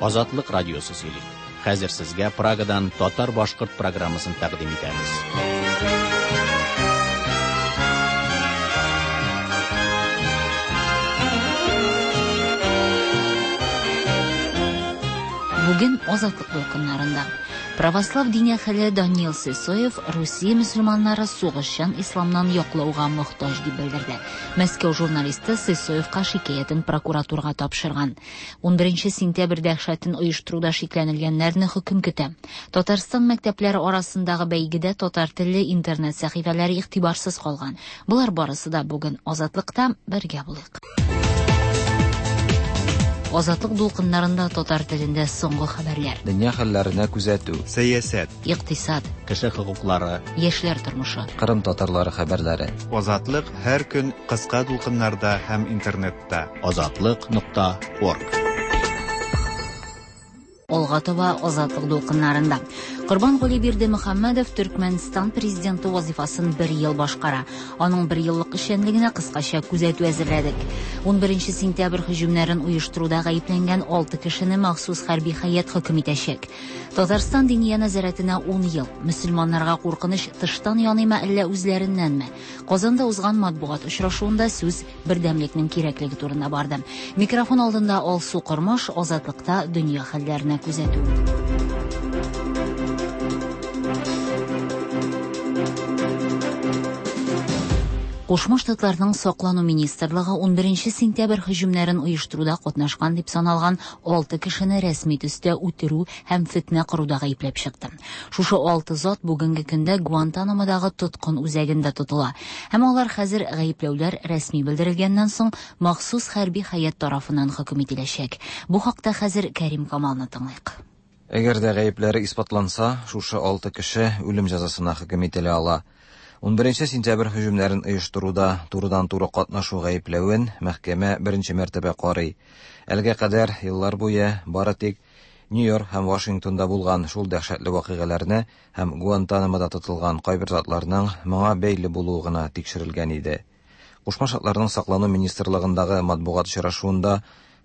Азатлык радиосы сөйли. Хәзер сезгә Прагадан татар-башкорт программасын тәкъдим итәбез. Бүген Азатлык дулкыннарында Православ дин әһеле Даниил Сысоев Русия мөселманнары сугышчан исламнан яклауга мохтаҗ дип белдерде. Мәскәү журналисты Сысоевка шикаятен прокуратурага тапшырган. 11 сентябрь дәһшәтен оештыруда шикләнелгәннәрне хөкем көтә. Татарстан мәктәпләре арасындагы бәйгедә татар телле интернет сәхифәләре игътибарсыз калган. Болар барысы да бүген Азатлыкта бергә булыйк. Азатлык дулкыннарында татар телендә соңгы хәбәрләр. Дөнья хәлләренә күзәтү. Сәясәт. Икътисад. Кеше хокуклары. Яшьләр тормышы. Кырым татарлары хәбәрләре. Азатлык һәр көн кыска дулкыннарда һәм интернетта. Азатлык.орг. Алга таба Азатлык дулкыннарында. Корбангули Бердымөхәммәдов Төркмәнстан президенты вазифасын бер ел башкара. Аның бер еллык эшчәнлегенә кыскача күзәтү әзерләдек. 11 сентябрь һөҗүмнәрен оештыруда гаепләнгән 6 кешене махсус хәрби хәят хөкем итәчәк. Татарстан Диния нәзарәтенә 10 ел. Мөселманнарга куркыныч тыштан яныймы әллә үзләреннәнме? Казанда узган матбугат очрашуында сүз бердәмлекнең кирәклеге турында барды. Микрофон алдында Алсу Кормаш, Азатлыкта дөнья хәлләренә күзәтү. Кушма Штатларның саклану министрлыгы 11 сентябрь һөҗүмнәрен оештыруда катнашкан дип саналган 6 кешене рәсми төстә үтерү һәм фетнә коруда гаепләп чыкты. Шушы 6 зат бүгенге көндә Гуантанамодагы тоткын үзәгендә тотыла. Һәм алар хәзер гаепләүләр рәсми белдерелгәннән соң махсус хәрби хәят тарафыннан хөкем ителәчәк. Бу хакта хәзер Кәрим Камалны тыңлыйк. Әгәр дә гаепләре исбатланса, шушы 6 кеше үлем җәзасына хөкем ителә ала. 11 сентябрь һөҗүмнәрен оештыруда турыдан-туры катнашу гаепләвен мәхкәмә беренче мәртәбә карый. Әлегә кадәр еллар буе бары тик Нью-Йорк һәм Вашингтонда булган шул дәһшәтле вакыйгаларны һәм Гуантанамода тотылган кайбер затларның моңа бәйле булуы гына тикшерелгән иде. Кушма Штатларның саклану министрлыгындагы матбугат очрашуында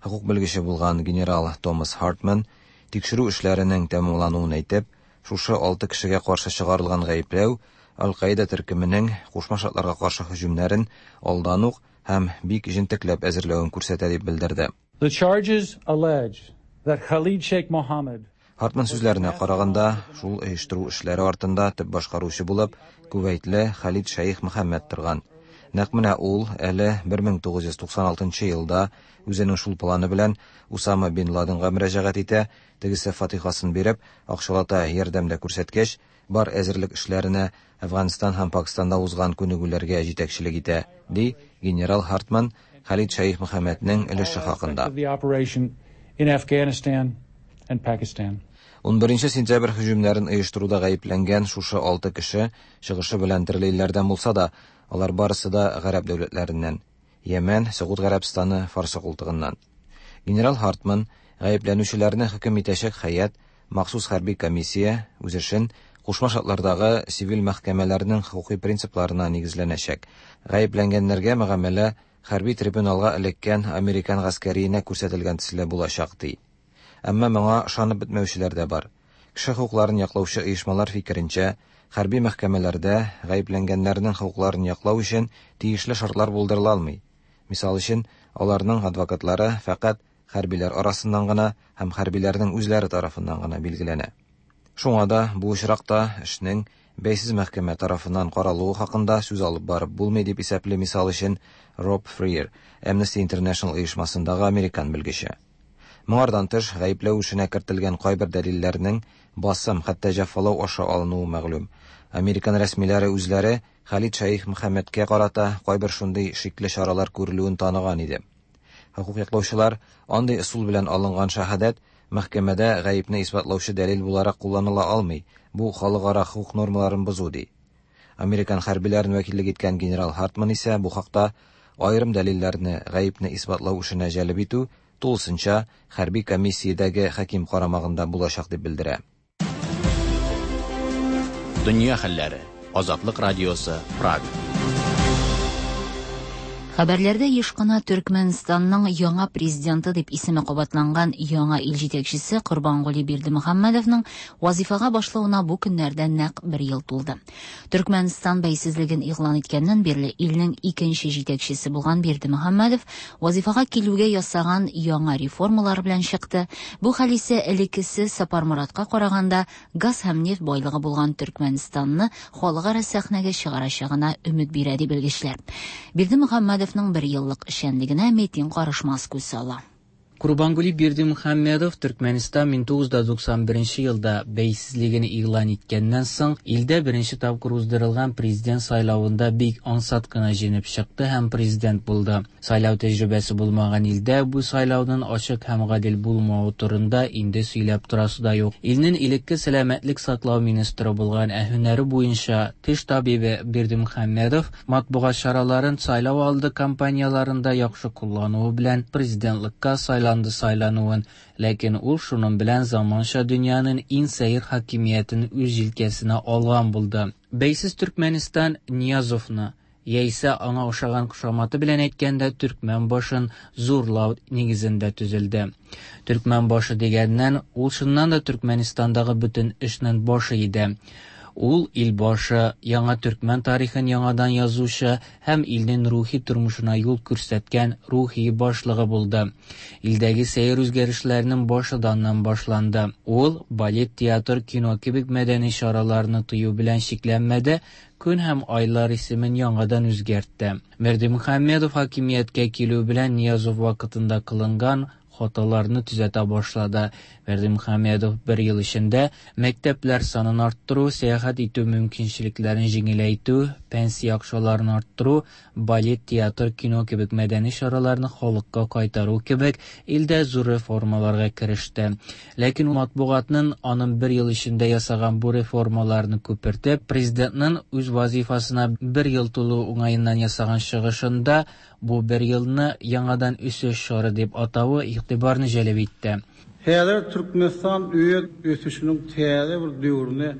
хокук белгече булган генерал Томас Хартман тикшерү эшләренең тәмамлануын әйтеп, шушы 6 кешегә каршы чыгарылган гаепләү Аль-Каида төркеменең Кушма Штатларга каршы һөҗүмнәрен алдан ук һәм бик җентекләп әзерләвен күрсәтә дип белдерде. The charges allege that Khalid Sheikh Mohammed Хартман сүзләренә караганда, шул оештыру эшләре артында төп башкаручы булып Кувейтле Халид Шәйх Мөхәммәд торган. Нәкъ менә ул әле 1996 елда үзенең шул планы белән Усама бин Ладенга мөрәҗәгать итә, тегесе фатихасын биреп, акчалата ярдәм дә күрсәткәч, бар әзерлек эшләренә Әфганстан һәм Пакистанда узган күнегүләргә җитәкчелек итә, ди генерал Хартман Халид Шәйх Мөхәммәднең өлеше хакында. In Afghanistan and Pakistan. 11 сентябрь һөҗүмнәрен оештыруда гаепләнгән шушы 6 кеше чыгышы белән төрле илләрдән булса да, алар барысы да гарәп дәүләтләреннән. Йәмән, Согуд Гарәбстаны, Фарсы култыгыннан. Генерал Хартман гаепләнүчеләрне хөкем итәчәк хәят махсус хәрби комиссия үз эшен Кушма Штатлардагы сивил мәхкәмәләрнең хокукый принципларына нигезләнәчәк. Гаепләнгәннәргә мөгамәлә хәрби трибуналга эләккән американ гаскәриенә күрсәтелгән төсле булачак ди. Әмма моңа ышанып бетмәүчеләр дә бар. Кеше хокукларын яклаучы оешмалар фикеренчә, хәрби мәхкәмәләрдә гаепләнгәннәрнең хокукларын яклау өчен тиешле шартлар булдырыла алмый. Мисал өчен, аларның адвокатлары фәкать хәрбиләр арасыннан гына һәм хәрбиләрнең үзләре тарафыннан гына билгеләнә. Шуңа да бу очракта эшнең бәйсез мәхкәмә тарафыннан каралуы хакында сүз алып барып булмый дип исәпли мисал өчен Роб Фриер, Amnesty International оешмасындагы американ белгече. Моңардан тыш, гаепләү эшенә кертелгән кайбер дәлилләрнең басым, хәтта җәфалау аша алынуы мәгълүм. Американ рәсмиләре үзләре Халид Шәйх Мөхәммәдкә карата кайбер шундый шикле чаралар күрелүен таныган иде. Хокук яклаучылар андый ысул белән алынган шаһадәт мәхкәмәдә гаепне исбатлаучы дәлил буларак кулланыла алмый. Бу халыкара хокук нормаларын бозу ди. Американ хәрбиләрен вәкиллек иткән генерал Хартман исә бу хакта аерым дәлилләрне гаепне исбатлау эшенә җәлеп итү тулысынча хәрби комиссиядәге хаким карамагында булачак дип белдерә. Дөнья хәлләре. Азатлык радиосы, Прага. Хәбәрләрдә еш кына Төркмәнстанның яңа президенты дип исеме кабатланган яңа ил җитәкчесе Корбангули Бердымөхәммәдовның вазифага башлавына бу көннәрдә нәкъ бер ел тулды. Төркмәнстан бәйсезлеген игълан иткәннән бирле илнең икенче җитәкчесе булган Бердымөхәммәдов вазифага килүгә ясаган яңа реформалар белән чыкты. Бу хәл исә элеккесе Сапарморатка караганда газ һәм нефть байлыгы булган Төркмәнстанны халыкара сәхнәгә чыгарачагына өмет бирә, ди белгечләр. Бердымөхәммәдовның бер еллык эшчәнлегенә Метин Карышмас күз сала. Курбангули Бердымөхәммәдов Төркмәнстан 1991 елда бәйсезлеген игълан иткәннән соң илдә беренче тапкыр уздырылган президент сайлавында бик ансат кына җиңеп чыкты һәм президент булды. Сайлау тәҗрибәсе булмаган илдә бу сайлауның ачык һәм гадел булмавы турында инде сөйләп торасы да юк. Илнең элекке сәламәтлек саклау министры булган, ә һөнәре буенча теш табибы Бердымөхәммәдов матбугат чараларын сайлау алды кампанияләрендә яхшы куллануы белән президентлыкка сайланды сайлануын, ләкин ул шуның белән заманча дөньяның иң сәер хакимиятен үз җилкәсенә алган булды. Бәйсез Төркмәнстан Ниязовны, яисә аңа охшаган кушаматы белән әйткәндә, Төркмән башын зурлау нигезендә төзелде. Төркмән башы дигәннән, ул чыннан да Төркмәнстандагы бөтен эшнең башы иде. Ул ил башы, яңа төркмән тарихын яңадан язучы һәм илнең рухи тормышына юл күрсәткән рухи башлыгы булды. Илдәге сәер үзгәрешләрнең башы да аннан башланды. Ул балет, театр, кино кебек мәдәни чараларны тыю белән чикләнмәде, көн һәм айлар исемен яңадан үзгәртте. Бердымөхәммәдов хакимияткә килү белән Ниязов вакытында кылынган хаталарны төзәтә башлады. Бердымөхәммәдов бер ел эчендә мәктәпләр санын арттыру, сәяхәт итү мөмкинчелекләрен җиңеләйтү, пенсия акчаларын арттыру, балет, театр, кино кебек мәдәни чараларны халыкка кайтару кебек илдә зур реформаларга кереште. Ләкин матбугатның аның бер ел эчендә ясаган бу реформаларны күпертеп, президентның үз вазифасына бер ел тулу уңаеннан ясаган чыгышында бу бер елны яңадан үсеш чоры дип атавы игътибарны җәлеп итте. Häzir Türkmenistan öz ösüşiniň täze bir döwrüne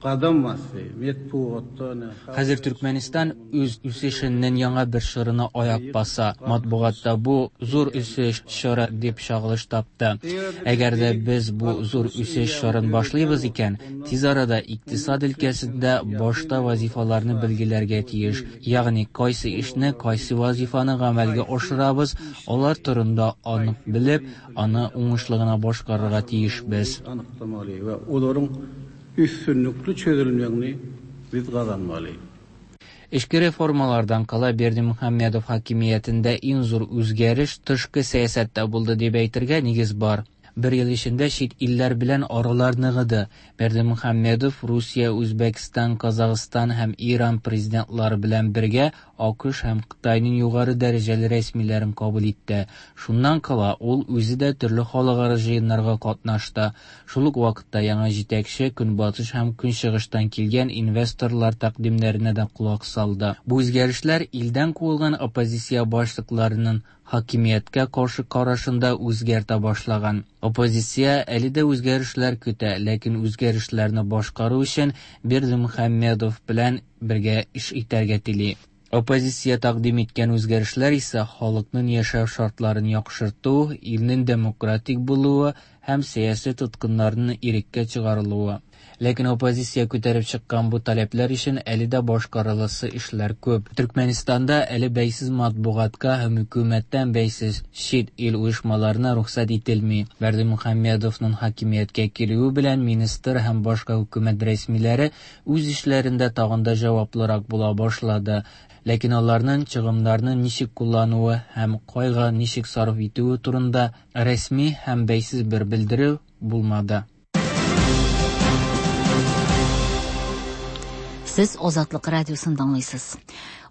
gadam basdy. Metbugatda Хәзер Төркмәнстан үз үсешенең яңа бер чорына аяк баса. Матбугатта бу зур үсеш чоры дип чагылыш тапты. Әгәр дә без бу зур үсеш чорын башлыйбыз икән, тиз арада икътисад өлкәсендә башта вазифаларны билгеләргә тиеш. Ягъни кайсы эшне, кайсы вазифаны гамәлгә ашырабыз, алар турында анык белеп, аны уңышлы гына башкарырга тиешбез. Anyklamaly we olaryň üstünlikli çözülmegini biz gazanmaly. Эчке реформалардан кала Бердымөхәммәдов хакимиятендә иң зур үзгәреш тышкы сәясәттә булды дип әйтергә нигез бар. Бер ел эчендә чит илләр белән аралар ныгыды. Бердымөхәммәдов Русия, Үзбәкстан, Казахстан һәм Иран президентлары белән бергә АКШ һәм Кытайның югары дәрәҗәле рәсмиләрен кабул итте. Шуннан кала ул үзе дә төрле халыкара җыеннарга катнашты. Шул ук вакытта яңа җитәкче Көнбатыш һәм Көнчыгыштан килгән инвесторлар тәкъдимнәренә дә колак салды. Бу үзгәрешләр илдән куылган оппозиция башлыкларының хакимияткә каршы карашын да үзгәртә башлаган. Оппозиция әле дә үзгәрешләр көтә, ләкин үзгәрешләрне башкару өчен Бердымөхәммәдов белән бергә эш итәргә тели. Оппозиция тәкъдим иткән үзгәрешләр исә халыкның яшәү шартларын яхшырту, илнең демократик булуы һәм сәяси тоткыннарның иреккә чыгарылуы. Ләкин оппозиция күтәреп чыккан бу таләпләр өчен әле дә башкарыласы эшләр күп. Төркмәнстанда әле бәйсез матбугатка һәм хөкүмәттән бәйсез чит ил оешмаларына рөхсәт ителми. Бердымөхәммәдовның хакимияткә килүе белән министр һәм башка хөкүмәт рәсмиләре үз эшләрендә тагын да җаваплырак була башлады. Ләкин аларның чыгымнарны ничек куллануы һәм кайга ничек сарыф итүе турында рәсми һәм бәйсез бер белдерү булмады. Сез Азатлык радиосын тыңлыйсыз.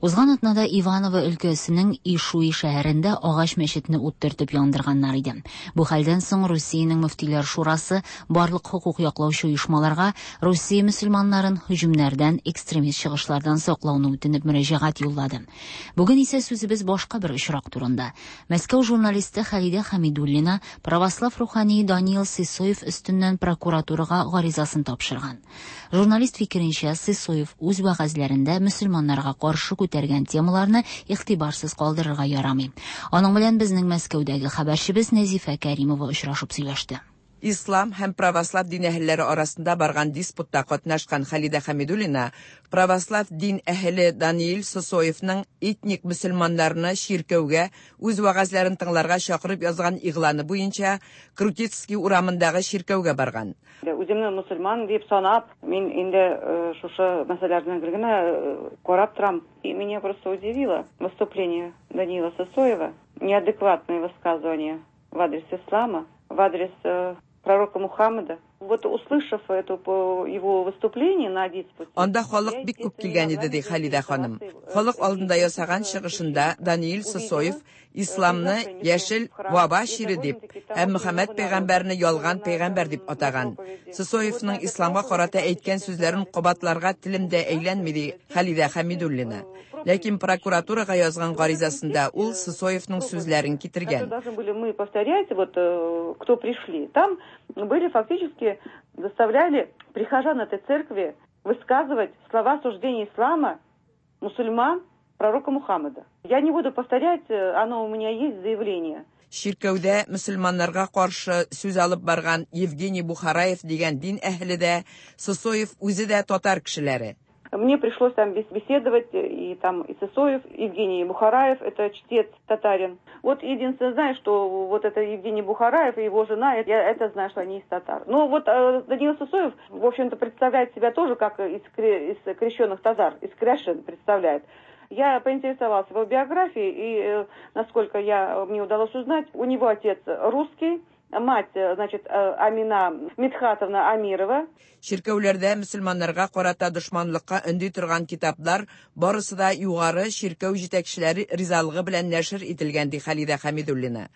Узган атнада Иваново өлкәсенең Ишуи шәһәрендә агач мәчетне ут төртеп яндырганнар иде. Бу хәлдән соң Русиянең мөфтиләр шурасы барлык хокук яклаучы оешмаларга Русия мөселманнарын һөҗүмнәрдән, экстремист чыгышлардан саклауны үтенеп мөрәҗәгать юллады. Бүген исә сүзебез башка бер очрак турында. Мәскәү журналисты Халидә Хамидуллина православ рухани Даниил Сысоев өстеннән прокуратурага гаризасын тапшырган. Журналист фикеренчә, Сысоев үз вәгазьләрендә мөселманнарга каршы күтәргән темаларны игътибарсыз калдырырга ярамый. Аның белән безнең Мәскәүдәге хәбәрчебез Нәзифә Кәримова очрашып сөйләште. Ислам һәм православ дин әһелләре арасында барган диспутта катнашкан Халидә Хәмидуллина православ дин әһеле Даниил Сысоевның этник мөселманнарны чиркәүгә үз вәгазьләрен тыңларга чакырып язган игъланы буенча Крутицкий урамындагы чиркәүгә барган. Үземне мөселман дип санап, мин инде шушы мәсьәләләрне гел генә карап торам. И меня просто удивило выступление Даниила Сысоева, неадекватное высказывание в адрес ислама, в адрес пророка Мухаммеда. Вот услышав это его выступление на диспуте... Анда халык бик күп килгән иде, ди Халидә ханым. Халык алдында ясаган чыгышында Даниил Сысоев исламны яшел ваба чире дип һәм Мөхәммәд пәйгамбәрне ялган пәйгамбәр дип атаган. Сысоевның исламга карата әйткән сүзләрен кабатларга телем дә әйләнми, ди Халидә Хәмидуллина. Ләкин прокуратурага язган гаризасында ул Сысоевның сүзләрен китергән. Должны были мы повторять, вот кто пришли. Там были фактически заставляли прихожан этой церкви высказывать слова осуждения ислама, мусульман, пророка Мухаммеда. Я не буду повторять, оно у меня есть заявление. Чиркәүдә мөселманнарга каршы сүз алып барган Евгений Бухараев дигән дин әһеле дә, Сысоев үзе дә татар кешеләре. Мне пришлось там беседовать, и там и Сысоев, Евгений Бухараев, это чтец татарин. Вот единственное знаю, что вот это Евгений Бухараев и его жена, я это знаю, что они из татар. Но вот Даниил Сысоев, в общем-то, представляет себя тоже как из крещенных татар, из кряшен представляет. Я поинтересовалась его биографией, и, насколько мне удалось узнать, у него отец русский, мать, значит, Амина Мидхатовна Амирова. Чиркәүләрдә мөселманнарга карата дошманлыкка өнди торган китаплар барысы да югары чиркәү җитәкчеләре ризалыгы белән нәшер ителгән, ди Халидә Хәмидуллина.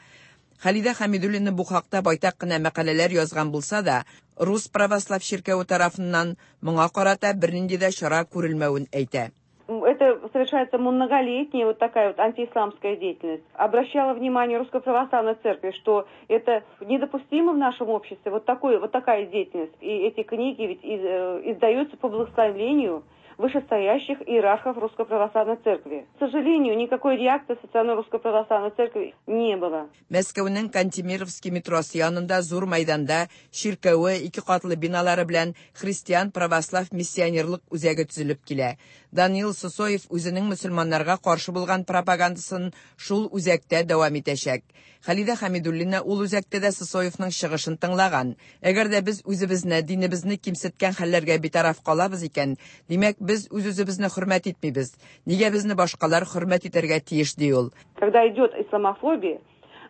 Халидә Хәмидуллина бу хакта байтак кына мәкаләләр язган булса да, Рус православ чиркәве тарафыннан моңа карата бернинди дә чара күрелмәвен әйтә. Это совершается многолетняя вот такая вот антиисламская деятельность. Обращала внимание Русской Православной Церкви, что это недопустимо в нашем обществе, вот такая деятельность. И эти книги ведь издаются по благословению вышестоящих иерархов Русской Православной Церкви. К сожалению, никакой реакции со стороны Русской Православной Церкви не было. Мәскәүнең Кантемировский метросы янында зур мәйданда чиркәве, ике катлы биналары белән христиан православ миссионерлык үзәге төзелеп килә. Даниил Сысоев үзенең мөселманнарга каршы булган пропагандасын шул үзәктә дәвам итәчәк. Халидә Хәмидуллина ул үзәктә дә Сысоевның чыгышын тыңлаган. Әгәр дә без үзебезне, динебезне кимсеткән хәлләргә битараф калабыз икән, димәк, без үз-үзебезне хөрмәт итмибез. Нигә безне башкалар хөрмәт итәргә тиеш, ди ул. Когда идет исламофобия,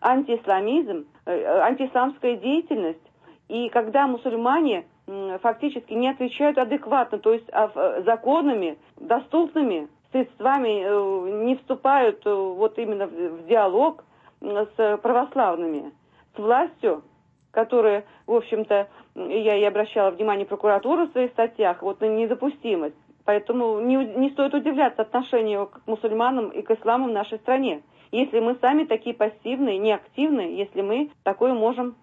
антиисламизм, антиисламская деятельность, и когда мусульмане фактически не отвечают адекватно, то есть законами, доступными средствами не вступают вот именно в диалог с православными, с властью, которая, в общем-то, я и обращала внимание прокуратуры в своих статьях, вот на недопустимость. Поэтому не стоит удивляться отношению к мусульманам и к исламу в нашей стране. Если мы сами такие пассивные, неактивные, если мы такое можем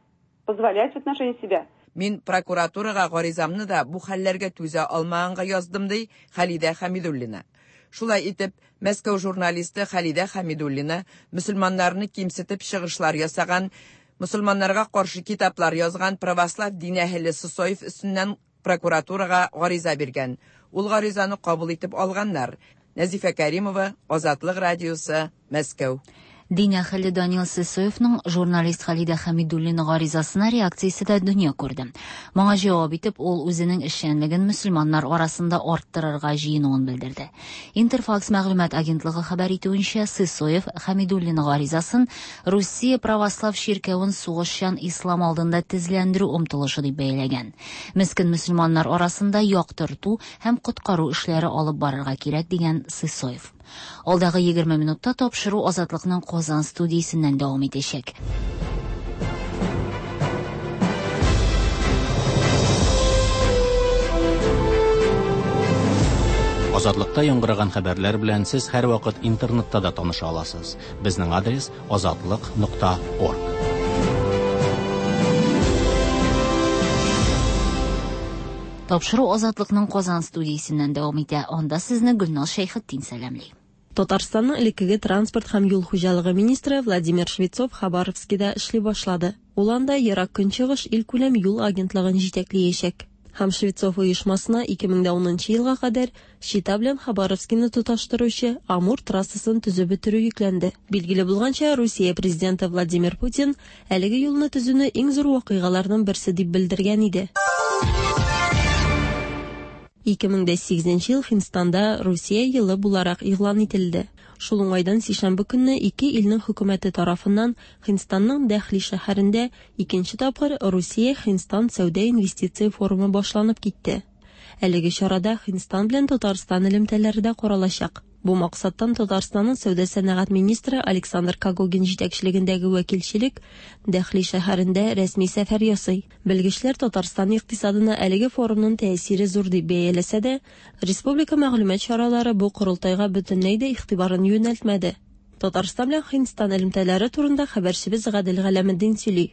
позволять в отношении себя. Мин прокуратурага гаризамны да бу хәлләргә түзә алмаганга яздым, ди Халидә Хәмидуллина. Шулай итеп, Мәскәү журналисты Халидә Хәмидуллина мөселманнарны кимсетеп чыгышлар ясаган, мөселманнарга каршы китаплар язган православ дин әһеле Сысоев өстеннән прокуратурага гариза биргән. Ул гаризаны кабул итеп алганнар. Нәзифә Кәримова, Азатлык радиосы, Мәскәү. Дин әһеле Даниил Сысоевның журналист Халидә Хәмидуллина гаризасына реакциясе дә дөнья күрде. Моңа җавап итеп, ул үзенең эшчәнлеген мөселманнар арасында арттырырга җыенуын белдерде. Интерфакс мәгълүмат агентлыгы хәбәр итүенчә, Сысоев Хәмидуллина гаризасын Русия православ чиркәвен сугышчан ислам алдында тезләндерү омтылышы дип бәяләгән. Мескен мөселманнар арасында яктырту һәм коткару эшләре алып барырга кирәк дигән Сысоев. Алдагы 20 минутта тапшыру Азатлыкның Казан студиясеннән дәвам итәчәк. Азатлыкта яңгыраган хәбәрләр белән сез һәрвакыт интернетта да таныша аласыз. Безнең адрес azatliq.org. Тапшыру Азатлыкның Казан студиясеннән дәвам итә. Анда сезне Гөлназ Шәйхетдин сәламли. Татарстанның элеккеге транспорт һәм юл хуҗалыгы министры Владимир Швецов Хабаровскида эшли башлады. Ул анда Ерак Көнчыгыш илкүләм юл агентлыгын җитәклиячәк. Һәм Швецов оешмасына 2010 елга кадәр Чита белән Хабаровскины тоташтыручы Амур трассасын төзеп бетерү йөкләнде. Билгеле булганча, Русия президенты Владимир Путин әлеге юлны төзүне иң зур вакыйгаларның берсе дип белдергән иде. 2008 ел Һиндстанда Русия елы буларак игълан ителде. Шул уңайдан сишәмбе көнне ике илнең хөкүмәте тарафыннан Һиндстанның Дәһли шәһәрендә икенче тапкыр Русия-Һиндстан сәүдә-инвестиция форумы башланып китте. Әлеге чарада Һиндстан белән Татарстан элемтәләре дә каралачак. Бу максаттан Татарстанның сәүдә-сәнәгать министры Александр Когогин җитәкчелегендәге вәкилчелек Дәһли шәһәрендә рәсми сәфәр ясый. Белгечләр Татарстан икътисадына әлеге форумның тәэсире зур дип бәяләсә дә, республика мәгълүмат чаралары бу корылтайга бөтенләй дә игътибарын юнәлтмәде. Татарстан белән Һиндстан элемтәләре турында хәбәрчебез Гадел Галәметдин сөйли.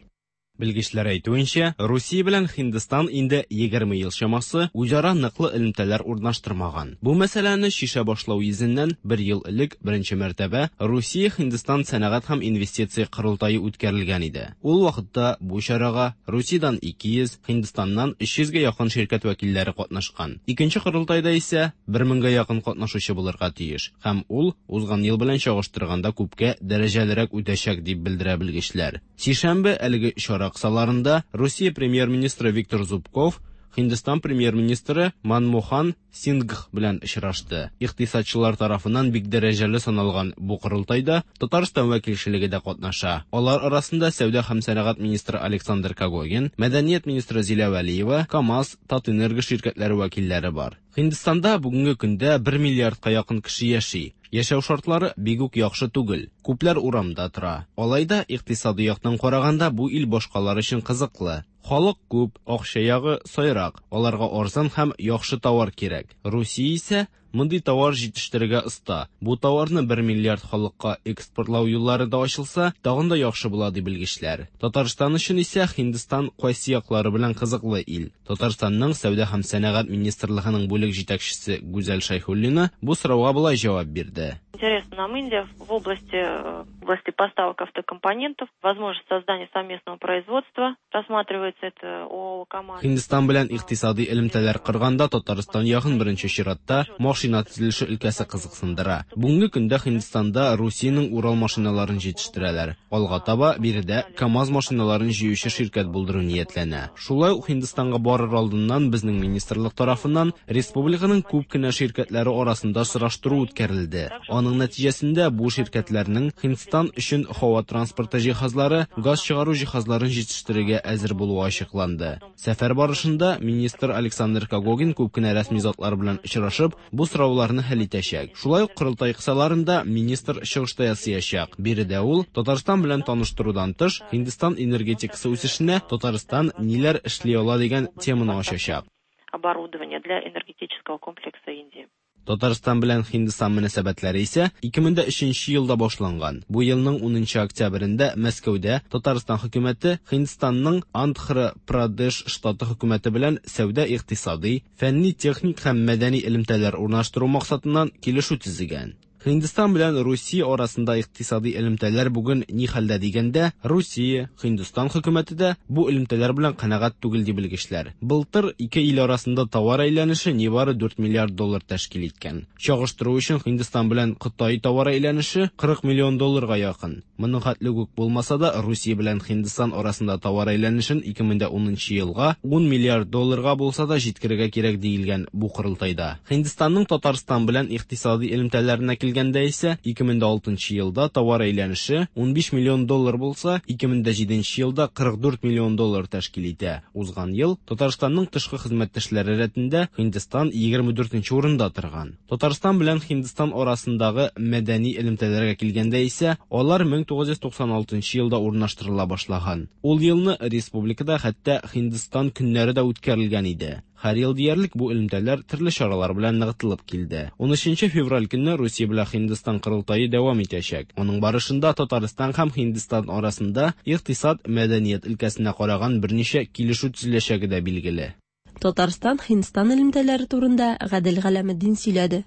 Белгечләр әйтүенчә, Русия белән Һиндстан инде 20 ел чамасы үзара ныклы элемтәләр урнаштырмаган. Бу мәсьәләне шишә башлау йөзеннән бер ел элек беренче мәртәбә Русия-Һиндстан сәнәгать һәм инвестиция корылтае үткәрелгән иде. Ул вакытта бу чарага Русиядән 200, Һиндстаннан 300 гә якын ширкәт вәкилләре катнашкан. Икенче корылтайда исә 1000 гә якын катнашучы булырга тиеш һәм ул узган ел белән чагыштырганда күпкә дәрәҗәлерәк үтәчәк дип белдерә белгечләр. Сишәмбе әлеге чара кысаларында Русия премьер-министры Виктор Зубков Һиндстан премьер-министры Манмохан Сингх белән очрашты. Икътисадчылар тарафыннан бик дәрәҗәле саналган бу корылтайда Татарстан вәкилчелеге дә катнаша. Алар арасында сәүдә һәм сәнәгать министры Александр Когогин, мәдәният министры Зилә Вәлиева, КАМАЗ, Татэнерго ширкәтләре вәкилләре бар. Һиндстанда бүгенге көндә 1 миллиардка якын кеше яши. Яшәү шартлары бик үк яхшы түгел. Күпләр урамда тора. Алай да икътисади яктан караганда бу ил башкалар өчен кызыклы. Халык күп, акча ягы сайрак. Аларга арзан һәм яхшы товар кирәк. Русия исә мондый товар җитештерергә оста. Бу товарны 1 миллиард халыкка экспортлау юллары да ачылса, тагын да яхшы була ди белгечләр. Татарстан өчен исә Һиндстан кайсы яклары белән кызыклы ил. Татарстанның сәүдә һәм сәнәгать министрлыгының бүлек җитәкчесе Гүзәл Шәйхуллина бу сорауга болай җавап бирде. Интересно нам Индия в области поставок автокомпонентов, возможность создания совместного производства рассматривается это ООО КАМАЗ. Һиндстан белән икътисади элемтәләр корганда Татарстан ягын беренче чиратта машина төзелеше өлкәсе кызыксындыра. Бүгенге көндә Һиндстанда Русиянең Урал машиналарын җитештерәләр. Алга таба биредә КАМАЗ машиналарын җыючы ширкәт булдыру ниятләнә. Шулай ук Һиндстанга барыр алдыннан безнең министрлык тарафыннан республиканың күп кенә ширкәтләре арасында сораштыру үткәрелде. Аның нәтиҗәсендә бу ширкәтләрнең Һиндстан өчен һава транспорты җиһазлары, газ чыгару җиһазларын җитештерергә әзер булуы ачыкланды. Сәфәр барышында министр Александр Когогин күп кенә рәсми затлар белән очрашып, бу сорауларны хәл итәчәк. Шулай ук корылтай кысаларында министр чыгыш та ясаячак. Биредә ул Татарстан белән таныштырудан тыш, Һиндстан энергетикасы үсешенә Татарстан ниләр эшли ала дигән теманы ачачак. Оборудование для энергетического комплекса Индии. Татарстан белән Һиндстан мөнәсәбәтләре исә 2003 елда башланган. Бу елның 10 октябрендә Мәскәүдә Татарстан хөкүмәте Һиндстанның Андхра-Прадеш штаты хөкүмәте белән сәүдә-икътисади, фәнни-техник һәм мәдәни элемтәләр урнаштыру максатыннан килешү төзегән. Һиндстан белән Русия арасында икътисади элемтәләр бүген ни хәлдә дигәндә, Русия, Һиндстан хөкүмәте дә бу элемтәләр белән канәгать түгел ди белгечләр. Былтыр ике ил арасында товар әйләнеше нибары 4 миллиард доллар тәшкил иткән. Чагыштыру өчен Һиндстан белән Кытай товар әйләнеше 40 миллион долларга якын. Моның хәтле үк булмаса да, Русия белән Һиндстан арасында товар әйләнешен 2010 елга 10 миллиард долларга булса да җиткерергә кирәк диелгән бу корылтайда. Һиндстанның Татарстан белән икътисади элемтәләренә килгәндә исә 2006 елда товар әйләнеше 15 миллион доллар булса, 2007 елда 44 миллион доллар тәшкил итә. Узган ел Татарстанның тышкы хезмәттәшләре рәтендә Һиндстан 24 урында торган. Татарстан белән Һиндстан арасындагы мәдәни элемтәләргә килгәндә исә, алар 1996 елда урнаштырыла башлаган. Ул елны республикада хәтта Һиндстан көннәре дә үткәрелгән иде. Һәр ел диярлек бу элемтәләр төрле чаралар белән ныгытылып килде. 13 февраль көнне Русия белән Һиндстан корылтае дәвам итәчәк. Аның барышында Татарстан һәм Һиндстан арасында икътисад, мәдәният өлкәсенә караган берничә килешү төзеләчәге дә билгеле. Татарстан Һиндстан элемтәләре турында Гадел Галәметдин сөйләде.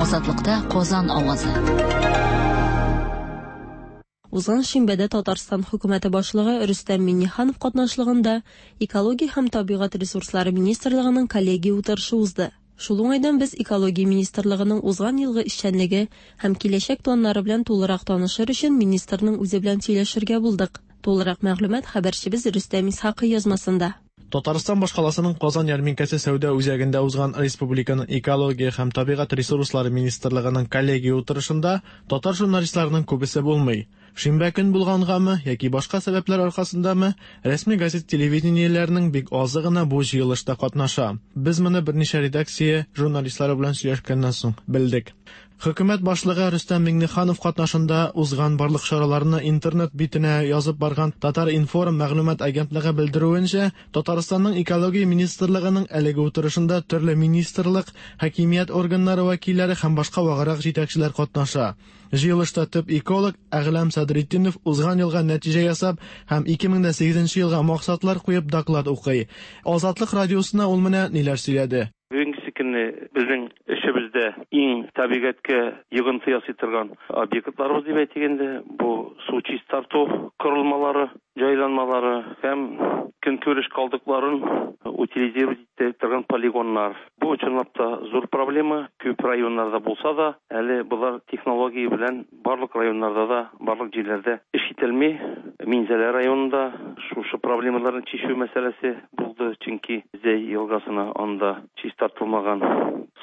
Азатлыкта Казан авазы. Узган шимбәдә Татарстан хөкүмәте башлыгы Рөстәм Миңнеханов катнашлыгында Экология һәм табигать ресурслары министрлыгының коллегия утырышы узды. Шул уңайдан без Экология министрлыгының узган елгы эшчәнлеге һәм киләчәк планнары белән тулырак танышыр өчен министрның үзе белән сөйләшергә булдык. Тулырак мәгълүмат хәбәрчебез Рөстәм Исхакый язмасында. Татарстан башкаласының Казан ярминкәсе сәүдә үзәгендә узган республиканың Экология һәм табигать ресурслары министрлыгының коллегия утырышында татар журналистларының күбесе булмый. Шимбә көн булгангамы яки башка сәбәпләр аркасындамы, рәсми газет телевидениеләренең бик азы гына бу җыелышта катнаша. Без моны берничә редакция журналистлары белән сөйләшкәннән соң белдек. Хөкүмәт башлыгы Рөстәм Миңнеханов катнашында узган барлык чараларны интернет битенә язып барган Татар-информ мәгълүмат агентлыгы белдерүенчә, Татарстанның Экология министрлыгының әлеге утырышында төрле министрлык, хакимият органнары вәкилләре һәм башка ваграк җитәкчеләр катнаша. Җыелышта төп эколог Әгъләм Садретдинов узган елга нәтиҗә ясап һәм 2008 елга максатлар куеп доклад укый. Азатлык радиосына ул менә ниләр сөйләде. Бүгенге көнне безнең эшебездә иң табигатькә йогынты ясый торган объектларыбыз дип әйтик инде, бу су чистарту корылмалары, җайланмалары һәм көнкүреш калдыкларын утилизировать итә торган полигоннар. Бу чынлап та зур проблема, күп районнарда булса да, әле болар технология белән барлык районнарда да, барлык җирләрдә эш ителми. Минзәлә районында шушы проблемаларны чишү мәсьәләсе булды, чөнки Зәй елгасына анда чистартылмаган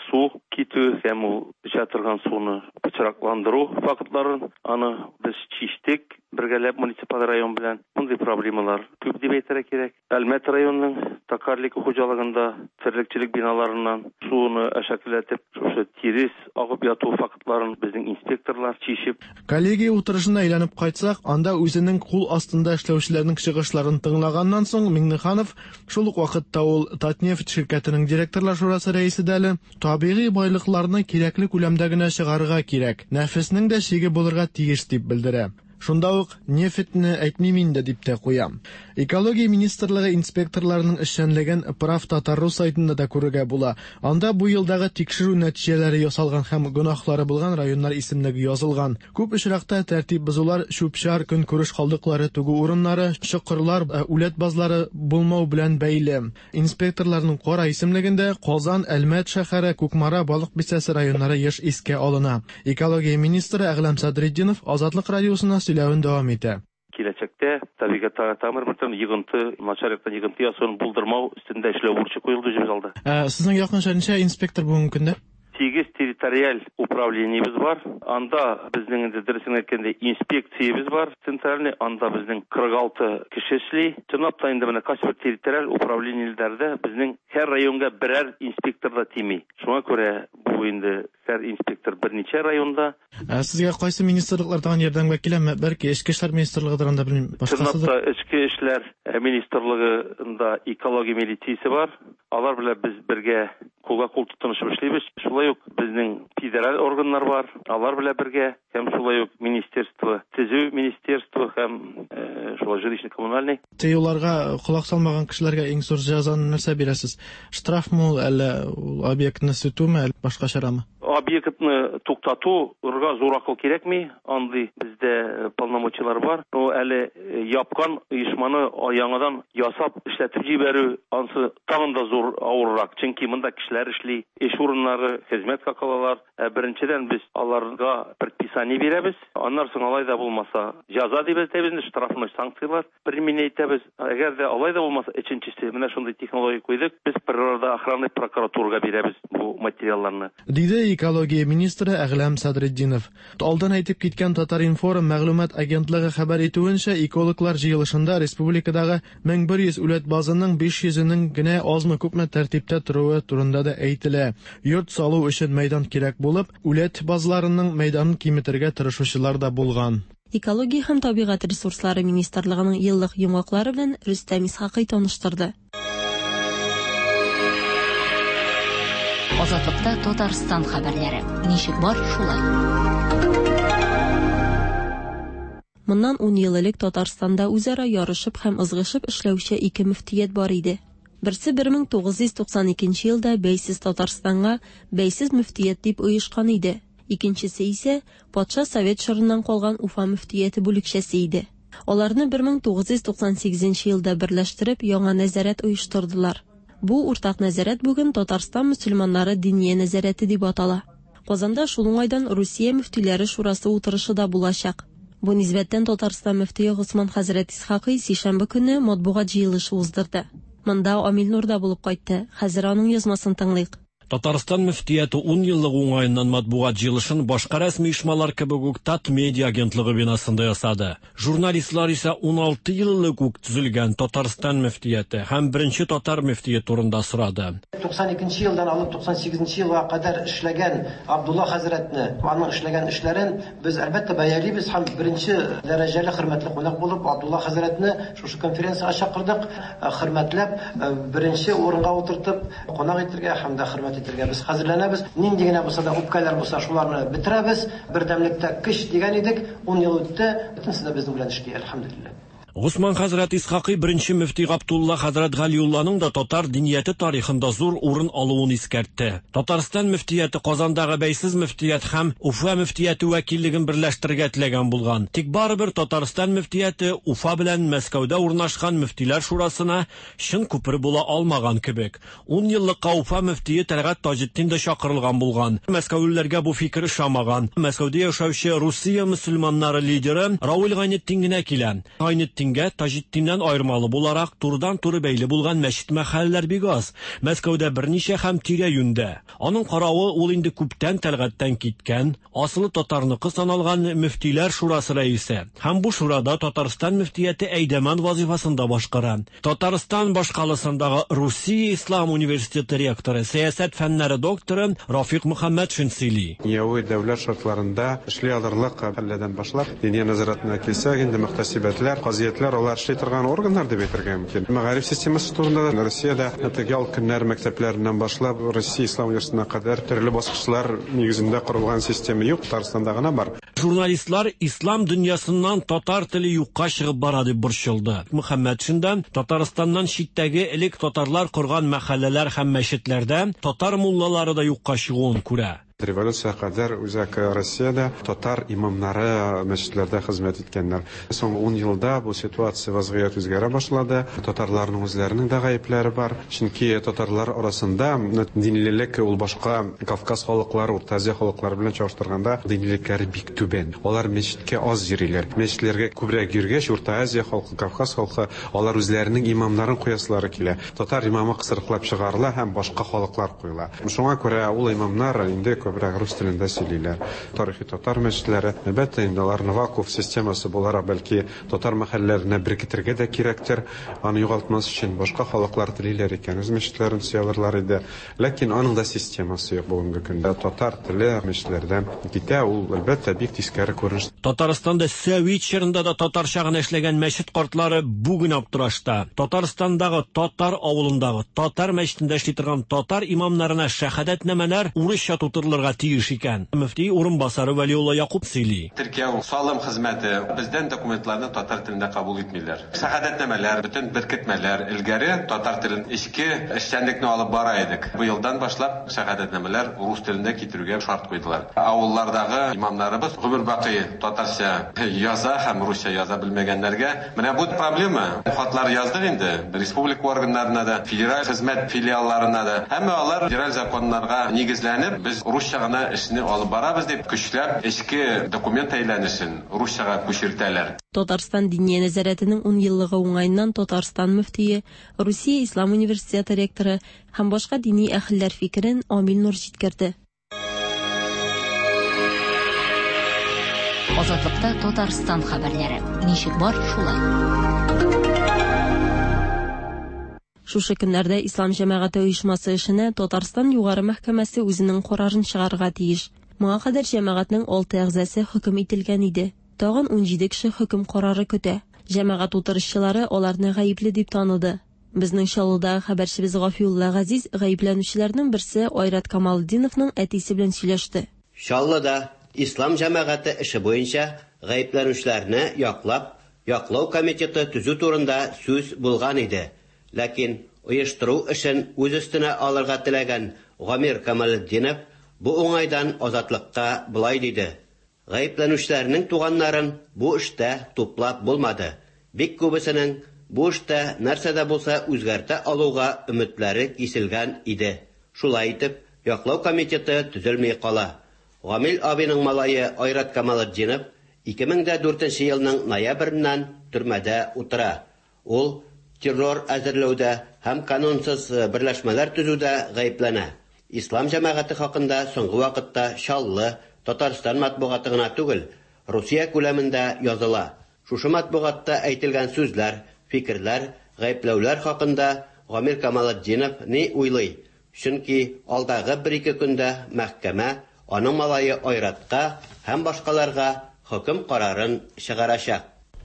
су китү һәм ул эчә торган суны пычракландыру фактларын аны без чиштек бергәләп муниципаль район белән. Мондый проблемалар күп дип әйтергә кирәк. Әлмәт районының Токарлик хуҗалыгында терлекчелек биналарыннан суны әшәкеләтеп, шушы тирес агып яту фактларын безнең инспекторлар чишеп. Коллегия утырышына әйләнеп кайтсак, анда үзенең кул астында эшләүчеләрнең чыгышларын тыңлаганнан соң Миңнеханов, шул ук вакытта ул Татнефть ширкәтенең директорлар шурасы рәисе дә әле, табигый байлыкларны кирәкле күләмдә генә чыгарырга кирәк, нәфеснең дә чиге булырга тиеш дип белдерә. Шунда ук нефтьне әйтмим инде дип тә куя. Экология министрлыгы инспекторларының эшчәнлеген Прав.Татар.ру сайтында да күрергә була. Анда бу елдагы тикшерү нәтиҗәләре ясалган һәм гөнаһлары булган районнар исемлеге язылган. Күп очракта тәртип бозулар чүп-чар, көнкүреш калдыклары түгү урыннары, чокырлар, үләт базлары булмау белән бәйле. Инспекторларның кара исемлегендә Казан, Әлмәт шәһәре, Кукмара, Балык Бистәсе районнары еш искә алына. Экология министры Әгъләм Садретдинов Азатлык радиосына сөйләвен дәвам итә. Киләчәктә табигатьтә тагын бер мәртәбә йогынты, начар яктан йогынты ясавын булдырмау өстендә эшләү бурычы куелды үзебез алда. Ә сезнең якынча ничә инспектор бүгенге көндә? Сигез территориаль управлениебез бар. Анда безнең инде дөресен әйткәндә инспекциябез бар, центральный, анда безнең 46 кеше эшли. Чынлап та инде менә кайсыбер территориаль управлениеләрдә безнең һәр районга берәр инспектор да тими. Шуңа күрә бу инде һәр инспектор берничә районда. Ә сезгә кайсы министрлыклар тагын ярдәмгә киләме? Бәлки Эчке эшләр министрлыгыдыр анда, белмим, башкасыдыр. Чынлап та Эчке эшләр министрлыгында экология милициясе бар. Алар белән без бергә кулга-кул тотынышып эшлибез. Шулай ук безнең федераль органнар бар, алар белән бергә һәм шулай ук министерство, төзү министерство һәм шулай жилищно-коммунальный. Тыюларга колак салмаган кешеләргә иң зур җәзаны нәрсә бирәсез? Штрафмы ул, әллә ул объектны сүтүме, әллә башка чарамы? Объектны туктату рга зур акыл кирәкми, андый бездә полномочияләр бар. Но әле япкан оешманы яңадан ясап эшләтеп җибәрү, ансы тагын да зур авыррак. Чөнки монда кешеләр эшли, эш урыннары, хезмәт хакы алалар. Ә беренчедән без аларга предписание бирәбез. Аннан соң алай да булмаса, җәза дип әйтәбез инде, штрафной санкцияләр применять итәбез. Әгәр дә алай да булмаса, өченчесе, менә шундый технология куйдык, без природоохранный прокуратурага бирәбез бу материалларны. Диде экология министры Әгъләм Садретдинов. Алдан әйтеп киткән Татар-информ мәгълүмат агентлыгы хәбәр итүенчә, экологлар җыелышында республикадагы 1100 үләт базының 500-енең генә азмы-күпме тәртиптә торуы турында да әйтелә. Йорт салу өчен мәйдан кирәк булып, үләт базларының мәйданын киметергә тырышучылар да булган. Экология һәм табигать ресурслары министрлыгының еллык йомгаклары белән Рөстәм Исхакый таныштырды. Азатлыкта Татарстан хәбәрләре. Ничек бар, шулай. Моннан ун ел элек Татарстанда үзара ярышып һәм ызгышып эшләүче ике мөфтият бар иде. Берсе 1992 елда бәйсез Татарстанга бәйсез мөфтият дип оешкан иде. Икенчесе исә патша совет чорыннан калган Уфа мөфтияте бүлекчәсе иде. Аларны 1998 елда берләштереп, яңа нәзарәт оештырдылар. Бу уртак нәзарәт бүген Татарстан мөселманнары Диния нәзарәте дип атала. Казанда шул уңайдан Русия мөфтиләре шурасы утырышы да булачак. Бу нисбәттән Татарстан мөфтие Госман хәзрәт Исхакый сишәмбе көнне матбугат җыелышы уздырды. Монда Амил Нур да булып кайтты. Хәзер аның язмасын тыңлыйк. Татарстан мөфтияте 10 еллыгы уңаеннан матбугат җыелышын башка рәсми оешмалар кебек үк Татмедиа агентлыгы бинасында ясады. Журналистлар исә 16 ел элек үк төзелгән Татарстан мөфтияте һәм беренче татар мөфтие турында сорады. 92 елдан алып 98 елга кадәр эшләгән Абдулла хәзрәтне, аның эшләгән эшләрен без әлбәттә бәялибез һәм беренче дәрәҗәле хөрмәтле кунак булып Абдулла хәзрәтне шушы конференциягә чакырдык, хөрмәтләп, беренче урынга утыртып, кунак итергә һәм дә хөрмәт итергә без хәзерләнәбез. Нинди генә булса да үпкәләр булса, шуларны бетерәбез. Бердәмлектә көч дигән идек, 10 ел үтте, бөтенесе дә безнең белән эшли, әлхәмдүлилләһ. Госман хәзрәт Исхакый беренче мөфти Габдулла хәзрәт Галиулланың да татар динияте тарихында зур урын алуын искәртте. Татарстан мөфтияте Казандагы бәйсез мөфтият һәм Уфа мөфтияте вәкиллеген берләштерергә теләгән булган. Тик барыбер Татарстан мөфтияте Уфа белән Мәскәүдә урнашкан мөфтиләр шурасына чын күпер була алмаган кебек. 10 еллыкка Уфа мөфтие Тәлгать Таҗетдин дә чакырылган булган. Мәскәүлеләргә бу фикер ошамаган. Мәскәүдә яшәүче Русия мөселманнары лидеры Равил Гайнетдин генә килә. Гайнетдингә Таҗетдиннән аермалы буларак турыдан-туры бәйле булган мәчет-мәхәлләләр бик аз. Мәскәүдә берничә һәм тирә-юньдә. Аның каравы ул инде күптән Тәлгатьтән киткән, асылы татарныкы саналган мөфтиләр шурасы рәисе. Һәм бу шурада Татарстан мөфтияте әйдәман вазифасын да башкара. Татарстан башкаласындагы Русия Ислам университеты ректоры, сәясәт фәннәре докторы Рафик Мөхәммәтшин сөйли. Дөньяви дәүләт шартларында эшли алырлык хәлләрдән башлап, Диния нәзарәтенә килсәк, инде мөхтәсибәтләр, казыятлар, алар эшли торган органнар дип әйтергә мөмкин. Мәгариф системасы турында да Россиядә теге ял көннәр мәктәпләреннән башлап, Россия ислам университетына кадәр төрле баскычлар нигезендә корылган система юк, Татарстанда гына бар. Журналистлар ислам дөньясыннан татар теле юкка чыгып бара дип борчылды. Мөхәммәтшин да Татарстаннан читтәге элек татарлар корган мәхәлләләр һәм мәчетләрдә татар муллалары да юкка чыгуын күрә. Революциягә кадәр Үзәк Россиядә татар имамнары мәчетләрдә хезмәт иткәннәр. Соңгы 10 елда бу ситуация, вазгыять үзгәрә башлады. Татарларның үзләренең дә гаепләре бар. Чөнки татарлар арасында динлелек ул башка Кавказ халыклары, Урта Азия халыклары белән чагыштырганда динлелекләре бик түбән. Алар мәчеткә аз йөриләр. Мәчетләргә күбрәк йөргәч, Урта Азия халкы, Кавказ халкы, алар үзләренең имамнарын куясылары килә. Татар имамы кысрыклап чыгарыла һәм башка халыклар куела. Шуңа күрә ул имамнар инде күбрәк рус телендә сөйлиләр. Тарихи татар мәчетләре, әлбәттә инде, аларны вакуф системасы буларак бәлки татар мәхәлләләренә беркетергә дә кирәктер, аны югалтмас өчен. Башка халыклар телиләр икән, үз мәчетләрен төзи алырлар иде. Ләкин аның да системасы юк бүгенге көндә. Татар теле мәчетләрдән китә, ул, әлбәттә, бик тискәре күренеш. Татарстанда сәвит чорында да татарча гына эшләгән мәчет картлары бүген аптырашта. Татарстандагы татар авылындагы татар мәчетендә эшли торган татар имамнарына шәһадәтнамәләр урысча тутырылырга тиеш икән. Мөфти урынбасары Вәлиулла Якуб сөйли. Теркәү, салым хезмәте бездән документларны татар телендә кабул итмиләр. Шәһадәтнамәләр, бөтен беркетмәләр элгәре татар телен эчке эшчәнлекне алып бара идек. Быелдан башлап шәһадәтнамәләр рус телендә китерүгә шарт куйдылар. Авыллардагы имамнарыбыз гомер бакый татарча яза һәм русча яза белмәгәннәргә менә бу проблема. Хатлар яздык инде республика органнарына да, федераль хезмәт филиалларына да. Әмма алар федераль законнарга нигезләнеп, без русча гына эшне алып барабыз дип көчләп эчке документ әйләнешен русчага күчертәләр. Татарстан Диния нәзарәтенең 10 еллыгы уңаеннан Татарстан мөфтие, Русия Ислам университеты ректоры һәм башка дини әһелләр фикерен Амил Нур җиткерде. Азатлыкта Татарстан хәбәрләре. Ничек бар, шулай. Шушы көннәрдә Ислам җәмәгате оешмасы эшенә Татарстан Югары мәхкәмәсе үзенең карарын чыгарырга тиеш. Моңа кадәр җәмәгатьнең 6 әгъзасы хөкем ителгән иде. Тагын 17 кеше хөкем карары көтә. Җәмәгать утырышчылары аларны гаепле дип таныды. Безнең Чаллыдагы хәбәрчебез Гафиулла Газиз гаепләнүчеләрнең берсе Айрат Камалетдиновның әтисе белән сөйләште. Чаллыда Ислам җәмәгате эше буенча гаепләнүчеләрне яклап, яклау комитеты төзү турында сүз булган иде. Ләкин Оештыру эшен үз өстенә алырга теләгән Гамир Камалетдинов бу уңайдан Азатлыкка болай диде: Гаепләнүчеләрнең туганнарын бу эштә туплап булмады. Бик күбесенең бу эштә нәрсә дә булса үзгәртә алуга өметләре киселгән иде. Шулай итеп, яклау комитеты төзелми кала. Гамил абыйның малае Айрат Камалетдинов 2004 елның ноябреннән төрмәдә утыра. Ул террор әзерләүдә һәм канунсыз берләшмәләр төзүдә гаепләнә. Ислам җәмәгате хакында соңгы вакытта Чаллы, Татарстан матбугаты гына түгел, Русия күләмендә языла. Шушы матбугатта әйтелгән сүзләр, фикерләр, гаепләүләр хакында Гамир Камалетдинов ни уйлый? Чөнки алдагы бер-ике көндә мәхкәмә аның малае Айратка һәм башкаларга хөкем карарын чыгарачак.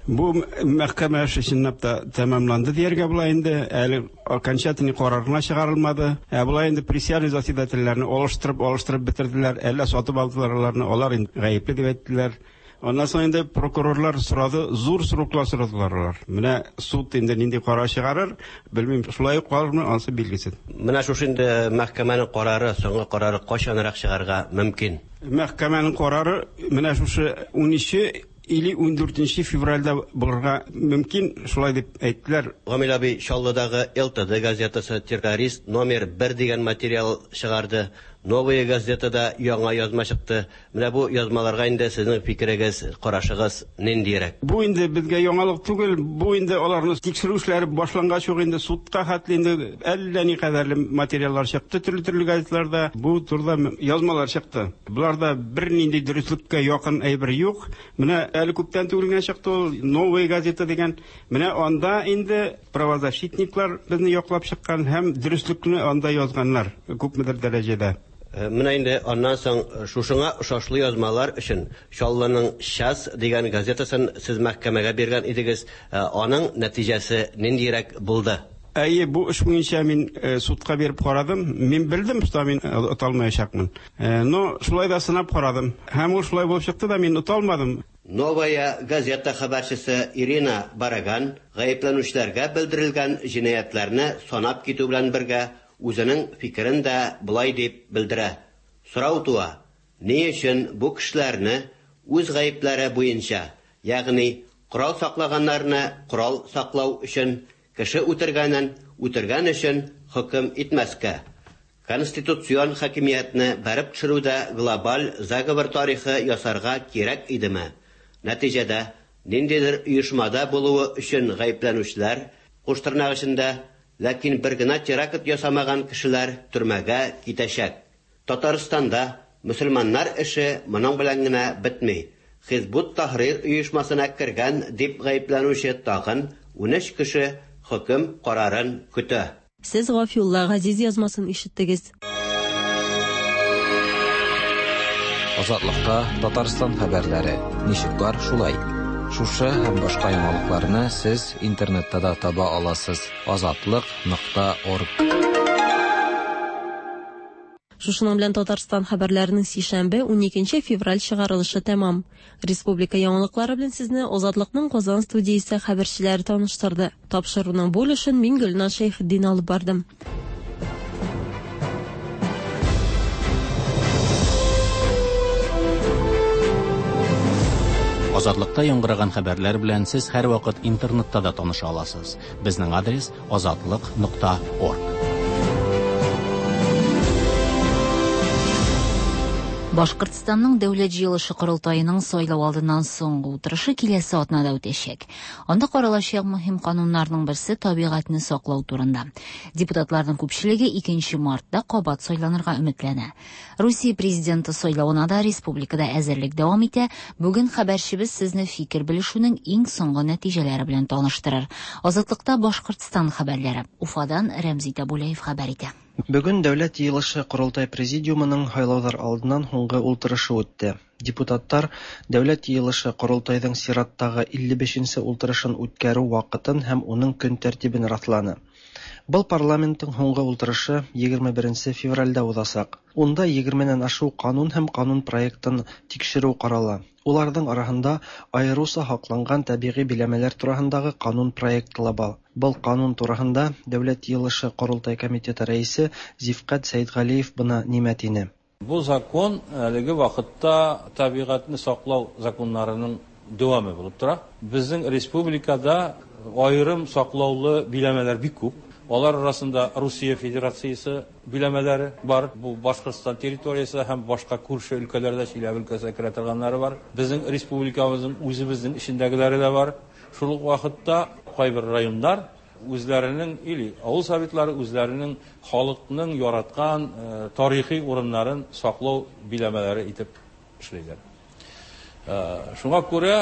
Бу мәхкәмә эше чынлап та тәмамланды дияргә була инде. Әле окончательный карар гына чыгарылмады. Ә болай инде присяжный заседательләрне алыштырып, алыштырып бетерделәр. Әллә сатып алдылар аларны, алар инде гаепле дип әйттеләр. Аннан соң инде прокурорлар сорады, зур сроклар сорадылар алар. Менә суд инде нинди карар чыгарыр, белмим, шулай ук калырмы, анысы билгесез. Менә шушы инде мәхкәмәнең карары, соңгы карары кайчанрак чыгарга мөмкин? Мәхкәмәнең карары менә шушы 13 или 14 февральдә булырга мөмкин, шулай дип әйттеләр. Гамил абый, Чаллыдагы ЛТД газетасы террорист номер 1 дигән материал чыгарды. Новая газетада яңа язма чыкты. Менә бу язмаларга инде сезнең фикерегез, карашыгыз ниндирәк? Бу инде безгә яңалык түгел, бу инде аларны тикшерү эшләре башлангач ук инде судка хәтле инде әллә никадәрле материаллар чыкты төрле-төрле газетларда. Бу турыда язмалар чыкты. Боларда бернинди дөреслеккә якын әйбер юк. Менә әле күптән түгел генә чыкты ул Новая газета дигән. Менә анда инде правозащитниклар безне яклап чыккан һәм дөреслекне анда язганнар күпмедер дәрәҗәдә. Менә инде аннан соң шушыңа ошашлы язмалар өчен Чаллының Час дигән газетасын сез мәхкәмәгә биргән идегез. Аның нәтиҗәсе ниндирәк булды? Әйе, бу эш буенча мин судка биреп карадым. Мин белдем, что мин ота алмаячакмын. Но шулай да сынап карадым. Һәм ул шулай булып чыкты да, мин ота алмадым. Новая газета хәбәрчесе Ирина Бараган гаепләнүчеләргә белдерелгән җинаятьләрне санап китү белән бергә үзенең фикерен дә болай дип белдерә. Сорау туа, ни өчен бу кешеләрне үз гаепләре буенча, ягъни корал саклаганнарны корал саклау өчен, кеше үтергәнен үтергән өчен хөкем итмәскә? Конституцион хакимиятне бәреп төшерүдә глобаль заговор тарихы ясарга кирәк идеме? Нәтиҗәдә, ниндидер оешмада булуы өчен гаепләнүчеләр, куш тырнак эчендә, ләкин бер генә теракт ясамаган кешеләр төрмәгә китәчәк. Татарстанда мөселманнар эше моның белән генә бетми. Хизбут Таһрир оешмасына кергән дип гаепләнүче тагын 13 кеше хөкем карарын көтә. Сез Гафиулла Газиз язмасын ишеттегез. Азатлыкта Татарстан хәбәрләре. Ничек бар, шулай. Шушы һәм башка яңалыкларны сез интернетта да таба аласыз. Азатлык.орг. Шушының белән Татарстан хәбәрләренең сишәмбе 12 февраль чыгарылышы тәмам. Республика яңалыклары белән сезне Азатлыкның Казан студиясе хәбәрчеләре таныштырды. Тапшыруның бу өлешен мин Гөлназ Шәйхетдин алып бардым. Азатлыкта яңгыраган хәбәрләр белән сез һәрвакыт интернетта да таныша аласыз. Безнең адрес азатлык.орг. Башкортстанның Дәүләт җыелышы корылтаеның сайлау алдыннан соңгы утырышы киләсе атнада үтәчәк. Анда каралачак мөһим кануннарның берсе табигатьне саклау турында. Депутатларның күпчелеге 2 мартта кабат сайланырга өметләнә. Русия президенты сайлавына да республикада әзерлек дәвам итә. Бүген хәбәрчебез сезне фикер белешүнең иң соңгы нәтиҗәләре белән таныштырыр. Азатлыкта Башкортстан хәбәрләре. Уфадан Рәмзи Табулаев хәбәр итә. Бүген Дәүләт җыелышы Корылтай президиумының һайлаулар алдыннан һуңгы ултырышы үтте. Депутаттар Дәүләт җыелышы Корылтайның чираттагы 55-нче ултырышын үткәрү вакытын һәм уның көн тәртибен расланы. Был парламенттың һуңгы ултырышы 21 февральдә узачак. Унда 20-нән ашу канун һәм канун проектын тикшерү карала. Уларның араһында аеруча һакланган табигый биләмәләр тураһындагы канун проекты ла бар. Был канун тураһында Дәүләт Йыйылышы-Королтай комитеты рәисе Зифкать Сәетгалиев бына нимә тине. Бу закон әлеге вакытта табигатьне саклау законнарының дәвамы булып тора. Безнең республикада аерым саклаулы биләмәләр бик күп. Алар арасында Русия Федерациясе биләмәләре бар. Бу Башкортстан территориясе һәм башка күрше өлкәләрдә, Чиләбе өлкәсенә керә торганнары бар. Безнең республикабызның үзебезнең эчендәгеләре дә бар. Шул ук вакытта кайбер районнар үзләренең или авыл советлары үзләренең халыкның яраткан тарихи урыннарын саклау биләмәләре итеп эшлиләр. Шуңа күрә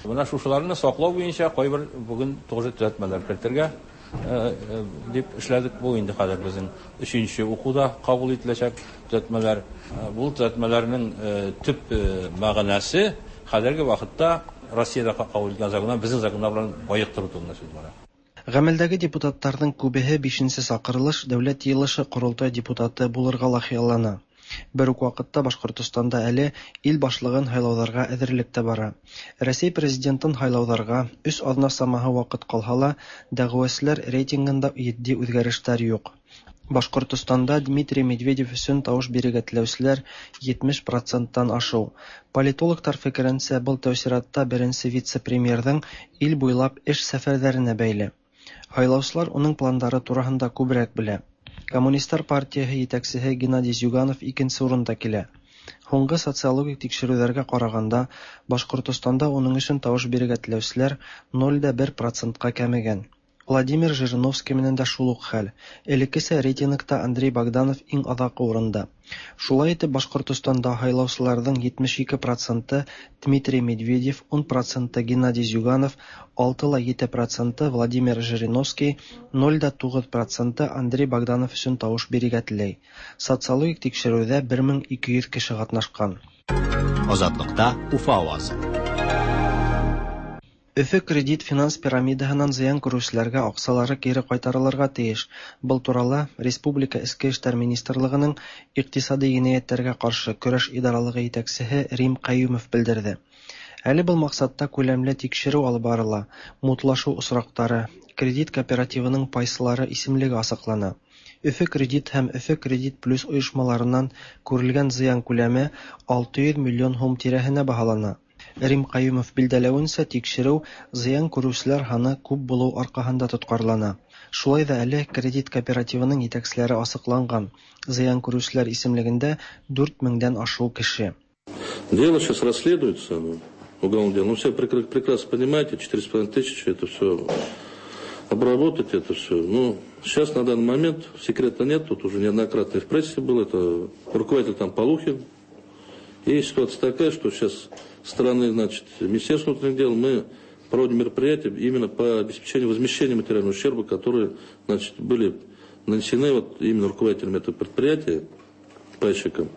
менә шушыларны саклау буенча кайбер бүген тоже төзәтмәләр кертергә дип эшләдек. Бу инде хәзер безнең өченче укуда кабул ителәчәк төзәтмәләр. Бу төзәтмәләрнең төп мәгънәсе хәзерге вакытта Россиядә кабул ителгән законнар безнең законнар белән баектыру турында сүз бара. Гамәлдәге депутатларның күбеһе бишенче чакырылыш Дәүләт Йыелышы-Корылтай депутаты булырга ла хыяллана. Бер үк вакытта Башкортостанда әле ил башлыгын һайлауҙарға әҙерлек тә бара. Рәсәй президентын һайлауҙарға өс аҙна самаһы ваҡыт ҡалһа ла, дәғүәселәр рейтингында етди үҙгәрештәр юҡ. Башҡортостанда Дмитрий Медведев өсөн тауыш бирергә теләүселәр 70 проценттан ашыу. Политологтар фекеренсә, был тәү сиратта беренсе вице-премьерҙың ил буйлап эш сәфәрҙәренә бәйле. Һайлаусылар уның пландары тураһында күберәк белә. Коммунистлар партияһы етәксеһе Геннадий Зюганов икенсе урында килә. Һуңғы социологик тикшереүҙәргә ҡарағанда, Башҡортостанда уның өсөн тауыш бирергә теләүселәр 0,1 процентҡа кәмегән. Владимир Жириновский менән дә шул уҡ хәл. Элеккесә рейтингта Андрей Богданов иң аҙаҡҡы урында. Шулай итеп, Башҡортостанда һайлаусыларҙың 72 проценты Дмитрий Медведев, 10 проценты Геннадий Зюганов, 6,7 проценты Владимир Жириновский, 0,9 проценты Андрей Богданов өсөн тауыш бирергә теләй. Социологик тикшереүҙә 1200 кеше ҡатнашҡан. Азатлыкта Уфа авазы. Өфө кредит финанс пирамидаһынан зыян күреүселәргә аҡсалары кире ҡайтарылырға тейеш. Был турала Республика Эске эштәр министрлығының иҡтисади енәйәттәргә ҡаршы көрәш идаралығы етәксеһе Рим Ҡәйүмов белдерҙе. Әле был маҡсатта күләмле тикшереү алып барыла, мутлашыу осраҡтары, кредит кооперативының пайсылары исемлеге асыҡлана. Өфө кредит һәм Өфө кредит плюс ойошмаларынан күрелгән зыян күләме 600 миллион һум тирәһенә баһалана. Рим Ҡәйүмов билдәләүенсә, тикшереү зыян күреүселәр һаны күп булыу арҡаһында тотҡарлана. Шулай ҙа әле кредит кооперативының етәкселәре асыҡланған. Зыян күреүселәр исемлегендә 4 меңдән ашыу кеше. Дело сейчас расследуется, уголовное дело. Ну, все прекрасно понимаете, 4,5 тысячи, это все обработать, это все. Ну, сейчас на данный момент секрета нет, тут уже неоднократно и в прессе был, это руководитель там Полухин. И ситуация такая, что сейчас стороны, значит, Министерства внутренних дел мы проводим мероприятия именно по обеспечению возмещения материального ущерба, которые, значит, были нанесены вот именно руководителям этого предприятия, пайщикам.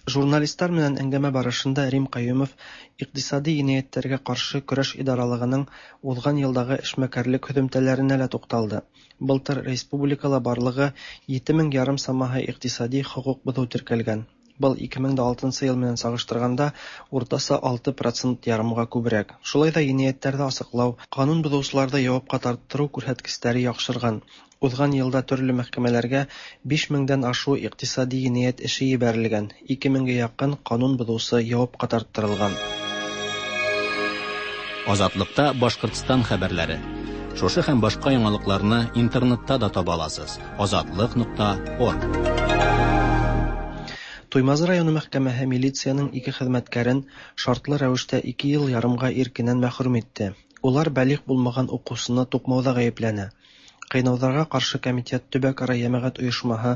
Журналистлар менән әңгәмә барышында Рим Ҡәйүмов иҡтисади енәйәттәргә ҡаршы көрәш идаралығының уҙған йылдағы эшмәкәрлек һөҙөмтәләренә лә туҡталды. Былтыр республикала барлығы 7,5 мең самаһы иҡтисади хоҡуҡ боҙоу теркәлгән. Был 2006 йыл менән сағыштырғанда уртаса 6,5 процентҡа күберәк. Шулай ҙа енәйәттәрҙе асыҡлау, ҡанун боҙоусыларҙы яуапҡа тарттырыу күрһәткестәре яҡшырған. Уҙған йылда төрлө мәхкәмәләргә 5 меңдән ашыу иҡтисади енәйәт эше ебәрелгән, 2 меңгә яҡын ҡанун боҙоусы яуапҡа тарттырылған. Азатлыкта Башҡортостан хәбәрләре. Шушы һәм башҡа яңалыҡларны интернетта да таба аласыз. Азатлык.орг. Туймазы районы мәхкәмәһе милициянең ике хеҙмәткәрен шартлы рәүештә 2 йыл ярымға иркенән мәхрүм итте. Улар бәлиғ булмаған уҡыусыны туҡмауҙа ғәйепләнә. Ҡыйнауҙарға ҡаршы комитет төбәк-ара йәмәғәт ойошмаһы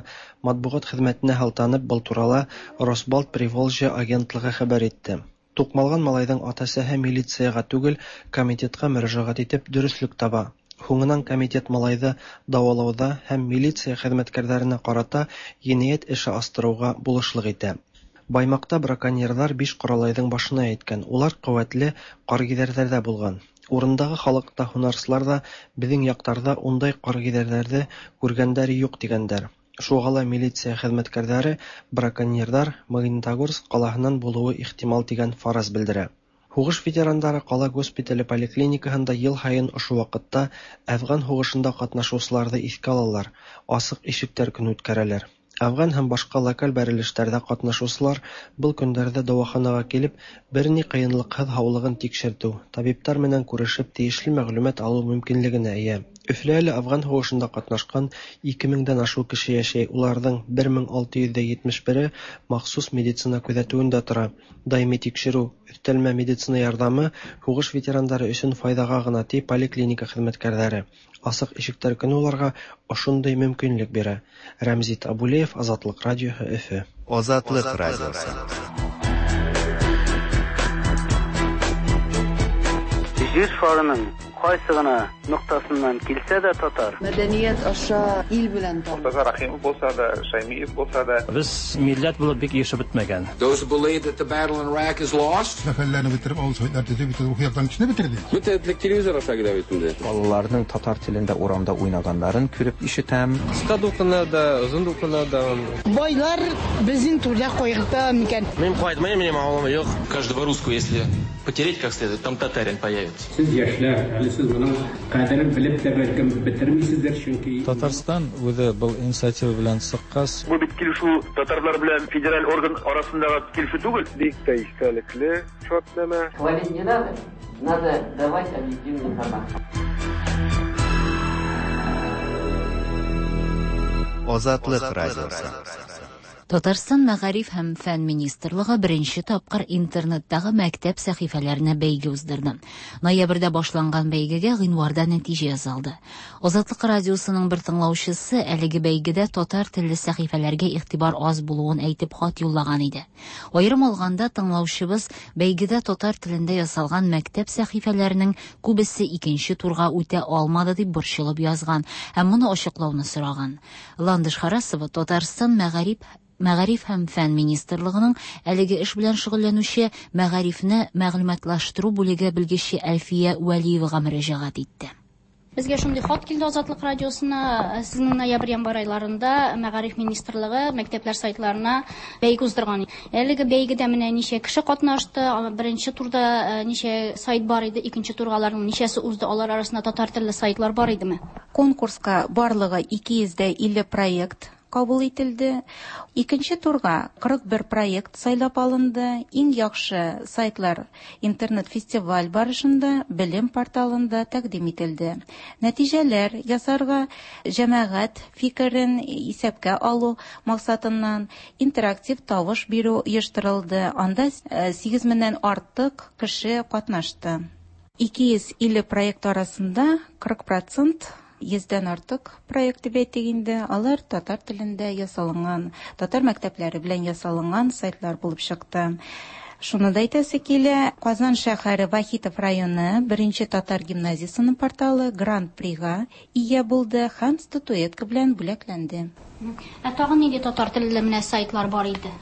матбуғат хеҙмәтенә һылтанып был турала Росбалт Приволжье агентлығы хәбәр итте. Туҡмалған малайҙың ата-әсәһе милицияға түгел, комитетҡа мөрәжәғәт итеп дөрөҫлөк таба. Һуңынан комитет малайҙы дауалауҙа һәм милиция хеҙмәткәрҙәренә ҡарата енәйәт эше астырыуға булышлыҡ итә. Баймаҡта браконьерҙар 5 ҡоралайҙың башына еткән. Улар ҡеүәтле ҡаргиҙәрҙәрҙә булған. Урындағы халыҡ та, һунарсылар ҙа беҙҙең яҡтарҙа ундай ҡаргиҙәрҙәрҙе күргәндәре юҡ тигәндәр. Шуга ла милиция хезмәткәрләре браконьердар Магнитогорск калаһыннан булуы ихтимал дигән фараз белдерә. Һугыш ветерандары кала госпитале поликлиникаһында ел һаен ошо вакытта Әфган һугышында катнашучыларны искә алалар, Асык ишекләр көне үткәрәләр. Әфган һәм башка локаль бәрелешләрдә катнашучылар был көндәрдә дәваханага килеп, берни кыенлыксыз һаулыгын тикшертү, табиблар менән күрешеп тиешле мәгълүмат алу мөмкинлегенә ия. Өфөлә әле Әфган һугышында катнашкан 2 меңдән ашык кеше яшәй, уларның 1671-е махсус медицина күзәтүендә тора. Даими тикшерү, өстәлмә медицина ярдәме һугыш ветерандары өчен файдага гына, ди поликлиника хезмәткәрләре. Асык ишекләр көне уларга ошондый мөмкинлек бирә. Рәмзи Табулеев, Азатлык радиоһы, Өфө. Азатлык радиосы. Җир шарының кайсы гына ноктасыннан килсә дә татар. Мәдәният аша ил белән таныш. Мортаза Рәхимов булса да, Шәймиев булса да. Без милләт булып бик ирешеп бетмәгән. Those who believe that the battle in Iraq is lost. Сәфәрләрне бетереп, авыл советлар төзеп, бөтен рухи яктан кешене бетерде. Бөтен этлек телевизор аша килә бит инде. Балаларның татар телендә урамда уйнаганнарын күреп ишетәм. Кыска дулкыннар да, озын дулкыннар да. Байлар безнең турда кайгырта микән? Мин кайтмыйм, минем авылым юк. Каждого русского, если потереть как следует, там татарин появится. Сез яшьләр, әле сез моның кадерен белеп тә бәлкем бетермисездер, чөнки Татарстан үзе был инициатива белән чыккач, Бу бит килешү татарлар белән федераль орган арасындагы килешү түгел. Бик тә истәлекле шартнамә. Хвалить не надо, надо давать объективную информацию. Азатлык радиосы. Татарстан Мәгариф һәм фән министрлыгы беренче тапкыр интернеттагы мәктәп сәхифәләренә бәйге уздырды. Ноябрьдә башланган бәйгегә гыйнварда нәтиҗә ясалды. Азатлык радиосының бер тыңлаучысы әлеге бәйгедә татар телле сәхифәләргә игътибар аз булуын әйтеп хат юллаган иде. Аерым алганда тыңлаучыбыз бәйгедә татар телендә ясалган мәктәп сәхифәләренең күбесе икенче турга үтә алмады дип борчылып язган һәм моны ачыклауны сораган. Ландыш Харасова Татарстан Мәгариф һәм фән министрлыгының әлеге эш белән шөгыльләнүче мәгарифне мәгълүматлаштыру бүлеге белгече Әлфия Вәлиевага мөрәҗәгать итте. Безгә шундый хат килде Азатлык радиосына. Сезнең ноябрь-январь айларында Мәгариф министрлыгы мәктәпләр сайтларына бәйге уздырган. Әлеге бәйгедә менә ничә кеше катнашты, беренче турда ничә сайт бар иде, икенче турга аларның ничәсе узды, алар арасында татар телле сайтлар бар идеме? Конкурска барлыгы 250 проект кабул ителде. Икенче турга 41 проект сайлап алынды. Иң яхшы сайтлар интернет-фестиваль барышында белем порталында тәкъдим ителде. Нәтиҗәләр ясарга җәмәгать фикерен исәпкә алу максатыннан интерактив тавыш бирү оештырылды. Анда 8 меңнән артык кеше катнашты. 250 проект арасында 40% йөздән артык проект дип әйтик инде, алар татар телендә ясалынган, татар мәктәпләре белән ясалынган сайтлар булып чыкты. Шуны да әйтәсе килә, Казан шәһәре Вахитов районы беренче татар гимназиясенең порталы Гран-прига ия булды һәм статуэтка белән бүләкләнде. Ә тагын нинди татар телле менә сайтлар бар иде?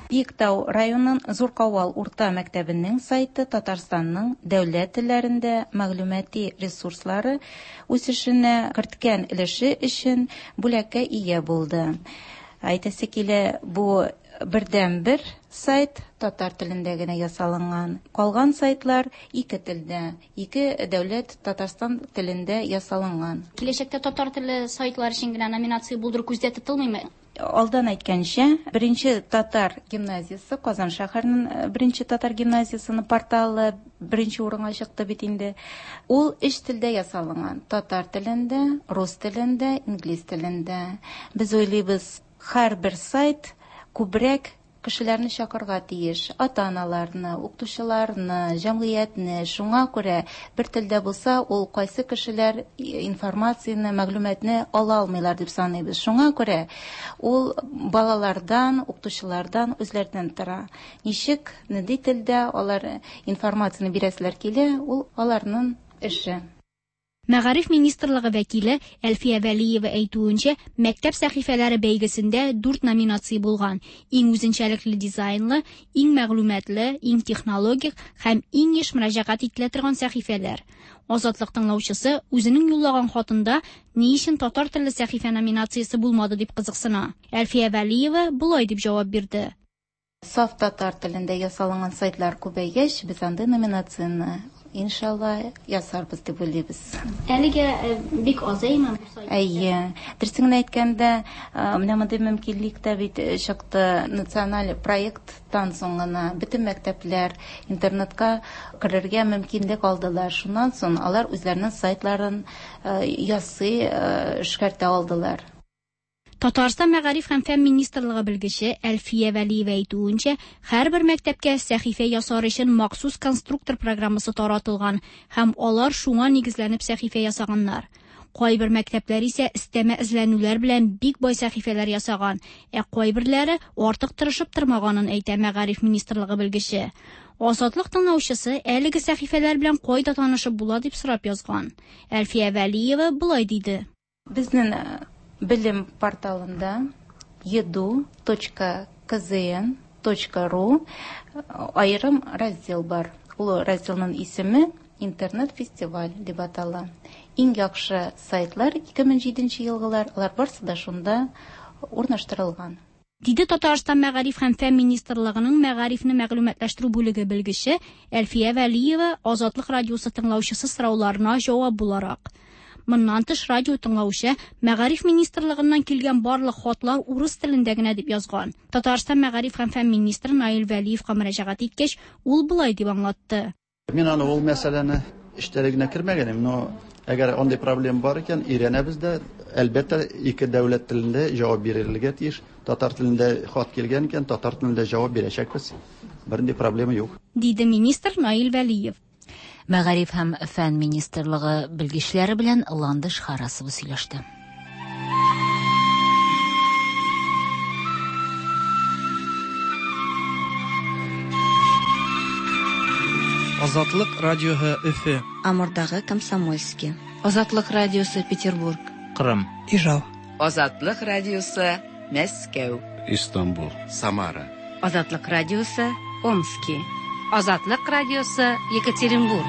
Биектау районының Зур Кавал урта мәктәбенең сайты Татарстанның дәүләт телләрендә мәгълүмати ресурслары үсешенә керткән өлеше өчен бүләккә ия булды. Әйтәсе килә, бу бердән-бер сайт татар телендә генә ясалынган. Калган сайтлар ике телдә, ике дәүләт Татарстан телендә ясалынган. Киләчәктә татар телле сайтлар өчен генә номинация булдыру күздә тотылмыймы? Алдан әйткәнчә, беренче татар гимназиясе, Казан шәһәренең беренче татар гимназиясенең порталы беренче урынга чыкты бит инде. Ул өч телдә ясалынган: татар телендә, рус телендә, инглиз телендә. Без уйлыйбыз, һәрбер сайт күбрәк кешеләрне чакырырга тиеш. Ата-аналарны, укытучыларны, җәмгыятьне. Шуңа күрә бер телдә булса, ул кайсы кешеләр информацияне, мәгълүматны ала алмыйлар дип саныйбыз. Шуңа күрә ул балалардан, укытучылардан үзләреннән тора. Ничек, нинди телдә алар информацияне бирәселәр килә, ул аларның эше. Мәгариф министрлыгы вәкиле Әлфия Вәлиева әйтүенчә, мәктәп сәхифәләре бәйгесендә дүрт номинация булган: иң үзенчәлекле дизайнлы, иң мәгълүматлы, иң технологик һәм иң еш мөрәҗәгать ителә торган сәхифәләр. Азатлык тыңлаучысы үзенең юллаган хатында ни өчен татар телле сәхифә номинациясе булмады дип кызыксына. Әлфия Вәлиева болай дип җавап бирде. Саф татар телендә ясалынган сайтлар күбәйгәч, без андый номинацияне, иншалла, ясарбыз дип уйлыйбыз. Әлегә бик аз, әйеме, бу сайт? Әйе. Дөресен генә әйткәндә, менә мондый мөмкинлек тә бит чыкты националь проекттан соң гына бөтен мәктәпләр интернетка керергә мөмкинлек алдылар. Шуннан соң алар үзләренең сайтларын ясый, эшкәртә алдылар. Татарстан Мәгариф һәм фән министрлыгы белгече Әлфия Вәлиева әйтүенчә, һәрбер мәктәпкә сәхифә ясар өчен махсус конструктор программасы таратылган һәм алар шуңа нигезләнеп сәхифә ясаганнар. Кайбер мәктәпләр исә өстәмә эзләнүләр белән бик бай сәхифәләр ясаган, ә кайберләре артык тырышып тормаганын әйтә Мәгариф министрлыгы белгече. Азатлык тыңлаучысы әлеге сәхифәләр белән кайда танышып була дип сорап язган. Әлфия Вәлиева болай диде. Безнең белем порталында edu.kzn.ru аерым раздел бар. Ул разделның исеме Интернет-фестиваль дип атала. Иң яхшы сайтлар 2007 елгылар, алар барысы да шунда урнаштырылган. Диде Татарстан Мәгариф һәм фән министрлыгының мәгарифне мәгълүматлаштыру бүлеге белгече Әлфия Вәлиева Азатлык радиосы тыңлаучысы сорауларына җавап буларак. Моннан тыш радио тыңлаучы Мәгариф министрлыгыннан килгән барлык хатлар урыс телендә генә дип язган. Татарстан Мәгариф һәм фән министры Наил Вәлиевка мөрәҗәгать иткәч, ул болай дип аңлатты. Мин аны ул мәсьәләне эчтәлегенә кермәгән идем, но әгәр андый проблема бар икән, өйрәнәбез дә, әлбәттә, ике дәүләт телендә җавап бирелергә тиеш. Татар телендә хат килгән икән, татар телендә җавап бирәчәкбез. Бернинди проблема юк. Диде министр Наил Вәлиев. Мәгариф һәм фән министрлыгы белгечләре белән Ландыш Харасова сөйләште. Азатлык радиоһы Өфе. Амурдагы Комсомольский. Азатлык радиосы Петербург. Кырым. Ижау. Азатлык радиосы Мәскәү. Истанбул. Самара. Азатлык радиосы Омски. Азатлык радиосы Екатеринбург.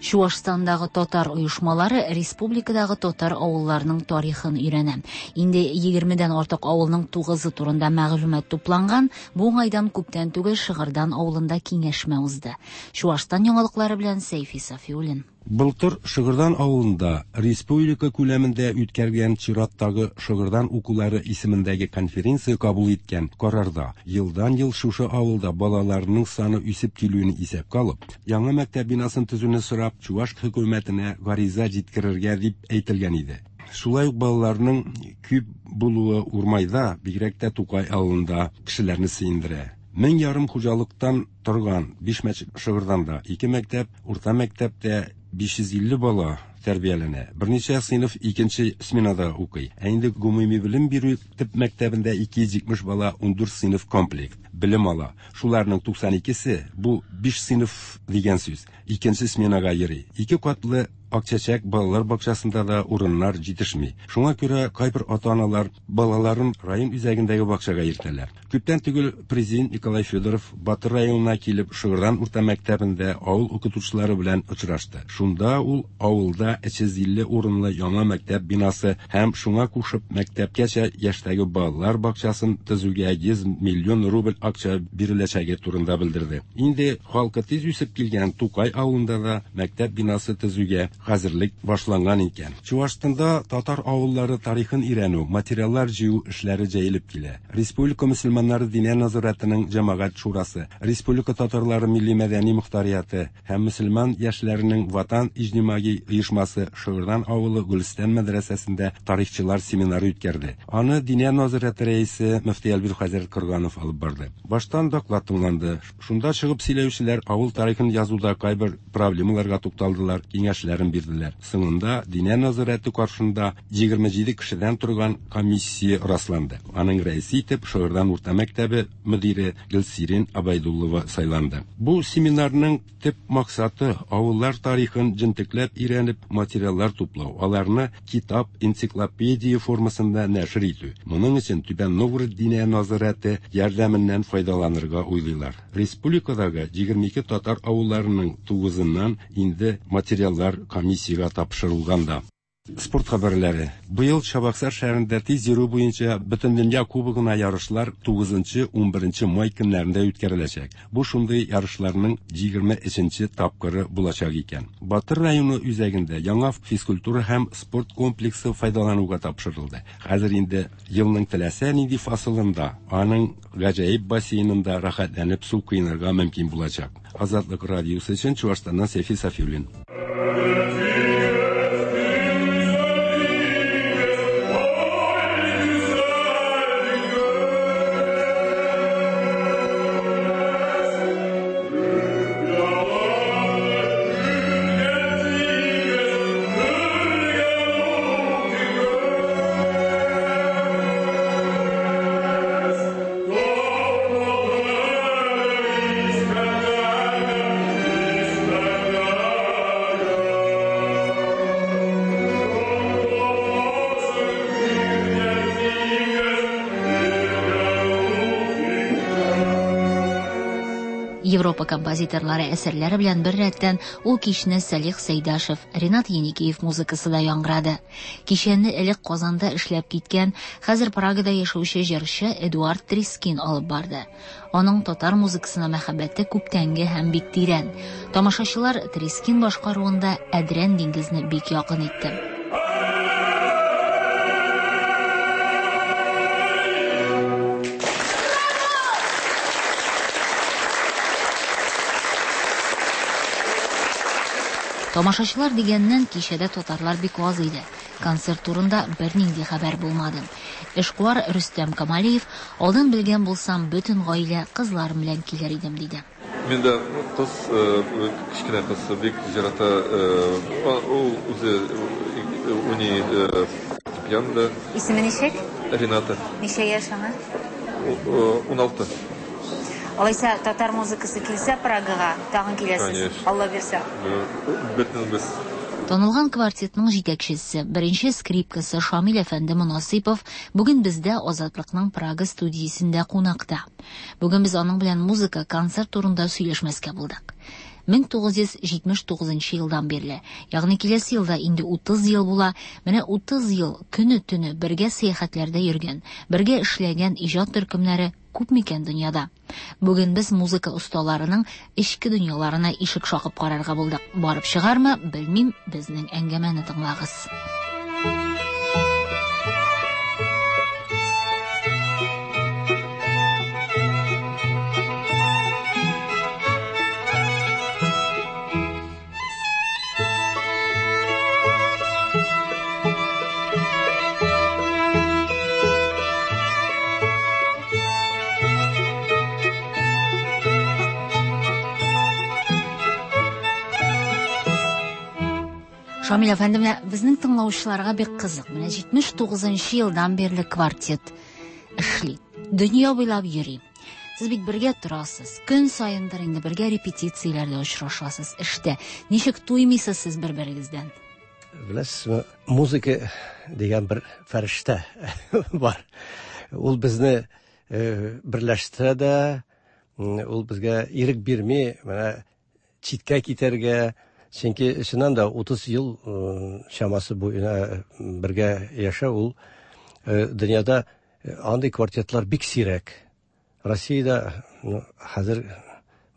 Чуашстандагы татар оешмалары республикадагы татар авылларының тарихын өйрәнә. Инде 20дән артык авылның 9-ы турында мәгълүмат тупланган. Бу уңайдан күптән түгел Шыгырдан авылында киңәшмә узды. Чуашстан яңалыклары белән Сәйфи Сафиуллин. Былтыр Шыгырдан авылында республика күләмендә үткәргән чираттагы Шыгырдан укулары исемендәге конференция кабул иткән карарда елдан-ел шушы авылда балаларның саны үсеп килүен исәпкә алып, яңа мәктәп бинасын төзүне сорап, Чуваш хөкүмәтенә гариза җиткерергә дип әйтелгән иде. Шулай ук балаларның күп булуы Урмайда, бигрәк тә Тукай авылында кешеләрне сөендерә. 1500 хуҗалыктан торган 5 мәчет Шыгырданда, 2 мәктәп, урта мәктәптә 550 бала тәрбияләнә. Берничә сыйныф икенче сменада укый. Ә инде гомуми белем бирү төп мәктәбендә 270 бала 14 сыйныф комплект белем ала. Шуларның 92-се бу 5 сыйныф дигән сүз. Икенче сменага йөри. Ике катлы Акчәчәк балалар бакчасында да урыннар җитешми. Шуңа күрә кайбер ата-аналар балаларын район үзәгендәге бакчага йөртәләр. Күптән түгел президент Николай Федоров Батыр районына килеп, Шыгырдан урта мәктәбендә авыл укытучылары белән очрашты. Шунда ул авылда 350 урынлы яңа мәктәп бинасы һәм шуңа кушып мәктәпкәчә яшьтәге балалар бакчасын төзүгә 100 миллион рубль акча биреләчәге турында белдерде. Инде халкы тиз үсеп килгән Тукай авылында да мәктәп бинасы төзүгә хәзерлек башланган икән. Чуашстанда татар авыллары тарихын өйрәнү, материаллар җыю эшләре җәелеп килә. Республика мөселманнары диния нәзарәтенең җәмәгать шурасы, Республика татарлары милли-мәдәни мохтарияте һәм мөселман яшьләренең Ватан иҗтимагый оешмасы Шыгырдан авылы Гөлстан мәдрәсәсендә тарихчылар семинары үткәрде. Аны диния нәзарәте рәисе мөфти Әлбир хәзрәт Крганов алып барды. Баштан доклад тыңланды. Шунда чыгып сөйләүчеләр авыл тарихын язуда кайбер проблемаларга тукталдылар, киңәшләрен бирделәр. бирделәр. Соңында Диния нәзарәте каршында 27 кешедән торган комиссия расланды. Аның рәисе итеп Шыгырдан урта мәктәбе мөдире Гөлсирин Абайдуллова сайланды. Бу семинарның төп максаты авыллар тарихын җентекләп өйрәнеп материаллар туплау, аларны китап, энциклопедия формасында нәшер итү. Моның өчен Түбән Новгород Диния нәзарәте ярдәменнән файдаланырга уйлыйлар. Республикадагы 22 татар авылларының тугызыннан инде материаллар комиссиягә тапшырылган да. Спорт хәбәрләре. Быел Чабаксар шәһәрендә тиз йөрү буенча Бөтендөнья кубогына ярышлар 9-11 май көннәрендә үткәреләчәк. Бу шундый ярышларның 23 тапкыры булачак икән. Батыр районы үзәгендә яңа физкультура һәм спорт комплексы файдалануга тапшырылды. Хәзер инде елның теләсә нинди фасылында аның гаҗәеп бассейнында рәхәтләнеп су коенырга мөмкин булачак. Азатлык радиосы өчен Чуашстаннан Сәйфи Сафиуллин. Европа композиторлары әсәрләре белән беррәттән ул кичне Салих Сәйдашев, Ренат Еникеев музыкасы да яңгырады. Кичәне элек Казанда эшләп киткән, хәзер Прагада яшәүче җырчы Эдуард Трискин алып барды. Аның татар музыкасына мәхәббәте күптәнге һәм бик тирән. Тамашачылар Трискин башкаруында Әдрән диңгезне бик якын итте. Тамашачылар дигәннән, кичәдә татарлар бик аз иде. Концерт турында бернинди хәбәр булмады. Эшкуар Рөстәм Камалиев, алдан белгән булсам, бөтен гаилә кызларым белән килер идем, диде. Мин дә кыз, кечкенә кыз бик ярата, ул үзе уйный фортепианода. Исеме ничек? Рената. Ничә яшь аңа? 16. Алайса татар музыкасы килсә Прагага, тагын киләсез. Алла бирсә. Бөтенебез. Танылган квартетның җитәкчесе, беренче скрипкасы Шамил әфәнде Монасыйпов бүген бездә Азатлыкның Прага студиясендә кунакта. Бүген без аның белән музыка, концерт турында сөйләшмәскә булдык. 1979 елдан бирле, ягъни киләсе елда инде 30 ел була, менә 30 ел көне-төне бергә сәяхәтләрдә йөргән, бергә эшләгән иҗат төркемнәре күп микән дөньяда? Бүген без музыка осталарының эчке дөньяларына ишек шакып карарга булдык. Барып чыгармы, белмим, безнең әңгәмәне тыңлагыз. Шамил әфәнде, менә безнең тыңлаучыларга бик кызык. Менә 79 елдан бирле квартет эшли. Дөнья буйлап йөри. Сез бит бергә торасыз. Көн саендыр инде бергә репетицияләрдә очрашасыз, эштә. Ничек туймыйсыз сез бер-берегездән? Беләсезме, музыка дигән бер фәрештә бар. Ул безне берләштерә дә, ул безгә ирек бирми, менә читкә китәргә. Чөнки чыннан да 30 ел чамасы буена бергә яшәү ул дөньяда андый квартетлар бик сирәк. Россиядә хәзер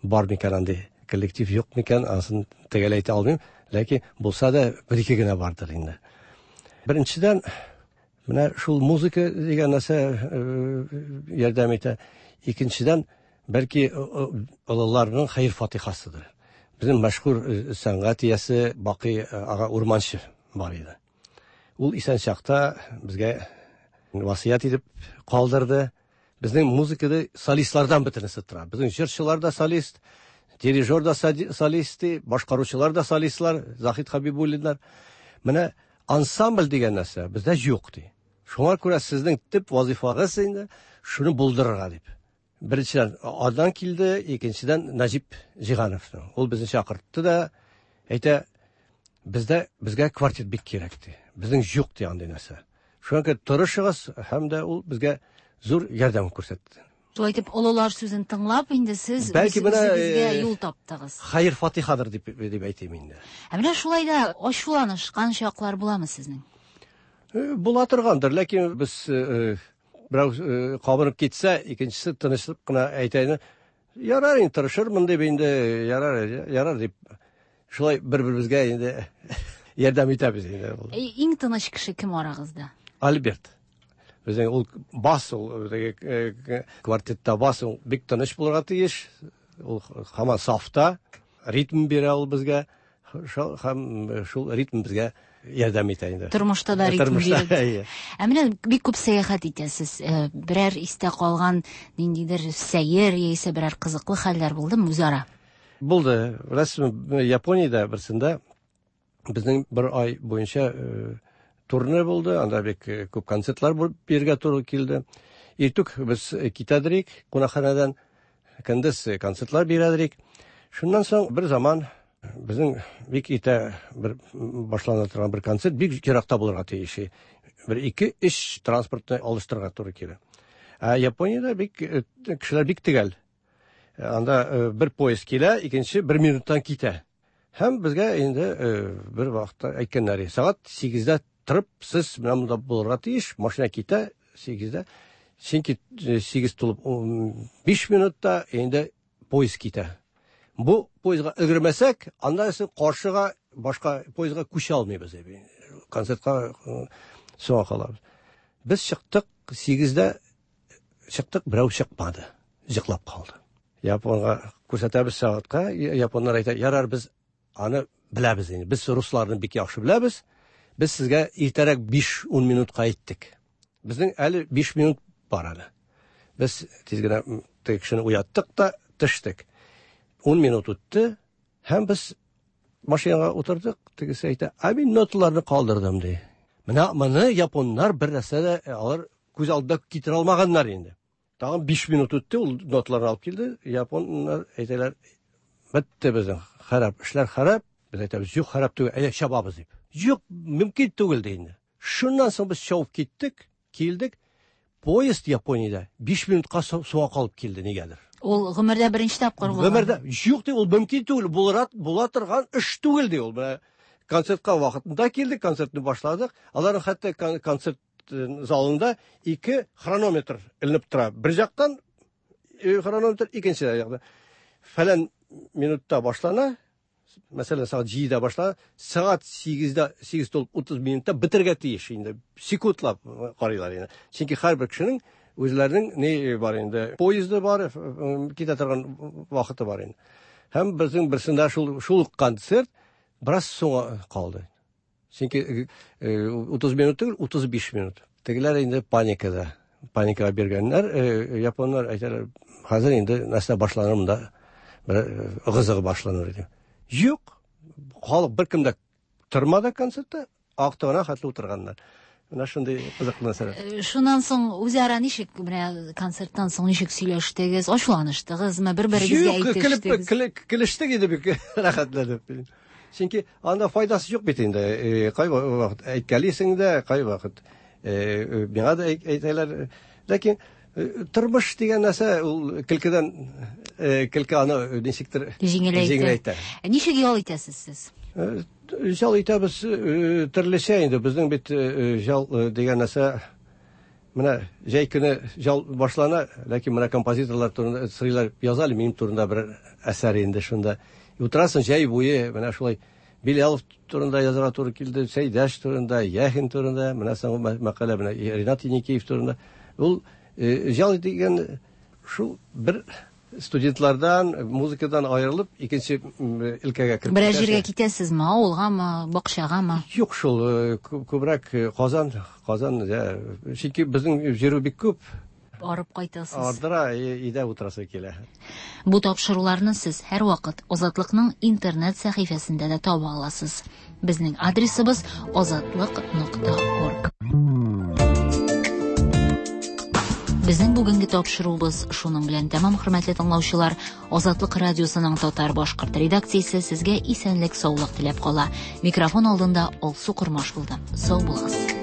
бар микән андый коллектив, юк микән, анысын төгәл әйтә алмыйм, ләкин булса да бер-ике генә бардыр инде. Беренчедән, менә шул музыка дигән нәрсә ярдәм итә. Икенчедән, бәлки олыларның хәер-фатихасыдыр. Безнең мәшһүр сәнгать иясе Бакый ага Урманчы бар иде. Ул исән чакта безгә васыять итеп калдырды. Безнең музыкада солистлардан бөтенесе тора. Безнең җырчылар да солист, Дирижер да солист, башкаручылар да солистлар, Заһид Хабибуллиннар. Менә ансамбль дигән нәрсә бездә юк ди. Шуңа күрә сезнең төп вазифагыз инде шуны булдырырга дип. Беренчедән Адан килде, икенчедән Нәҗип Җиһановның. Ул безне чакыртты да әйтә, бездә безгә квартет бик кирәк ди. Безнең юк ди андый нәрсә. Шуңа күрә тырышыгыз һәм дә ул безгә зур ярдәм күрсәтте. Шулай итеп, олылар сүзен тыңлап, инде сез Бәлки менә, үзегезгә юл таптыгыз. Хәер фатихадыр дип дип әйтим инде. Ә менә шулай да ачуланышкан чаклар буламы сезнең? Була торгандыр, ләкин без берәү кабынып китсә, икенчесе тынычлык кына әйтә инде, ярар инде тырышырмын дип инде, ярар, ярар дип. Шулай бер-беребезгә инде ярдәм итәбез инде. Иң тыныч кеше кем арагызда? Альберт. Безнең ул бас, ул теге квартетта бас, ул бик тыныч булырга тиеш. Ул һаман сафта, ритм бирә ул безгә. Һәм шул ритм безгә ярдәм итә инде. Тормышта да ритм бирә. Ә менә бик күп сәяхәт итәсез. Берәр истә калган ниндидер сәер яисә берәр кызыклы хәлләр булдымы үзара? Булды. Беләсезме, Япониядә берсендә безнең бер ай буенча турне булды. Анда бик күп концертлар бирергә туры килде. Иртүк без китәдерик кунакханәдән, көндез концертлар бирәдерик. Шуннан соң бер заман безнең бик иртә бер башлана торган бер концерт бик еракта булырга тиеш. Бер 2-3 транспортны алыштырырга туры килә. Ә Япониядә бик кешеләр бик төгәл. Анда бер поезд килә, икенче бер минуттан китә. Һәм безгә инде бер вакытта әйткәннәр, сәгать 8-дә торып, сез менә монда булырга тиеш, машина китә 8-дә. Чөнки 8 тулып 5 минутта инде поезд китә. Бу поездга өлгермәсәк, анда исә каршыга башка поездга күчә алмыйбыз. Концертка соңга калабыз. Без чыктык 8-дә чыктык, берәү чыкмады. Йоклап калды. Японга күрсәтәбез сәгатькә, японнар әйтә, ярар, без аны беләбез инде. Без русларны бик яхшы беләбез. Без сезгә иртәрәк 5-10 минутка әйттек. Безнең әле 5 минут бар әле. Без тиз генә теге кешене уяттык та төштек. 10 минут үтте һәм без машинага утырдык. Тегесе әйтә, ә мин ноталарны калдырдым ди. Менә моны японнар бер нәрсә дә алар күз алдында китерә алмаганнар инде. Тагын 5 минут үтте, ул ноталарны алып килде. Японнар әйтәләр, бетте безнең харап, эшләр харап. Без әйтәбез, юк, харап түгел, әйдә чабабыз дип. Юк, мөмкин түгел ди инде. Шуннан соң без чабып киттек, килдек. Поезд Япониядә 5 минутка соңга калып килде нигәдер. Ул гомердә беренче тапкыр булган. Гомердә юк ди, ул мөмкин түгел, була торган эш түгел ди ул. Менә концертка вакытында килдек, концертны башладык. Аларның хәтта концерт залында 2 хронометр эленеп тора. Бер жактан хронометр, икенче жактан. Фәлән минутта башлана, мәсәлән, сәгать 7-дә башлана, сәгать 8-дә, 8 тулып 30 минутта бетергә тиеш инде. Секундлап карыйлар инде. Чөнки һәрбер кешенең үзләренең ни бар инде, поезды бар, китә торган вакыты бар инде. Һәм безнең берсендә шул концерт бераз соңга калды. Чөнки 30 минут түгел, 35 минут. Тегеләр инде паникада. Паникага биргәннәр, японнар әйтәләр, хәзер инде нәрсә башланыр монда, бер ыгы-зыгы башланыр иде. Юк, халык беркем дә тормады концертта, актыгына хәтле утырганнар. Менә шундый кызыклы нәрсәләр. Шуннан соң үзара ничек, менә концерттан соң ничек сөйләштегез, ачуланыштыгызмы, бер-берегезгә әйтештегез? Юк, көлештек инде бик рәхәтләнеп. Чөнки анда файдасы юк бит инде. Кай вакыт әйткәлисең дә, кай вакыт миңа да әйтәләр. Ләкин тормыш дигән нәрсә ул көлкедән, көлке аны ничектер җиңеләйтә. Ничек ял итәсез сез? Ял итәбез төрлечә инде. Безнең бит ял дигән нәрсә менә җәй көне ял башлана, ләкин менә композиторлар турында сорыйлар, яза әле минем турында бер әсәр инде шунда. Утырасың җәй буе, менә шулай Билялов турында язарга туры килде, Сәйдәш турында, Яхин турында, менә соңгы мәкалә менә Ринат Еникеев турында. Ул ял дигән шул бер студентлардан, музыкадан аерылып, икенче өлкәгә кереп. Берәр җиргә китәсезме, авылгамы, бакчагамы? Юк шул, күбрәк Казан, Казан, чөнки безнең җирү бик күп. Арып кайтасыз. Ардыра, өйдә утырасы килә. Бу тапшыруларны сез һәрвакыт Азатлыкның интернет сәхифәсендә дә таба аласыз. Безнең адресыбыз azatliq.org. Безнең бүгенге тапшыруыбыз шуның белән тәмам, хөрмәтле тыңлаучылар. Азатлык радиосының татар башкорт редакциясе сезгә исәнлек, саулык теләп кала. Микрофон алдында Алсу Кормаш булды. Сау булыгыз.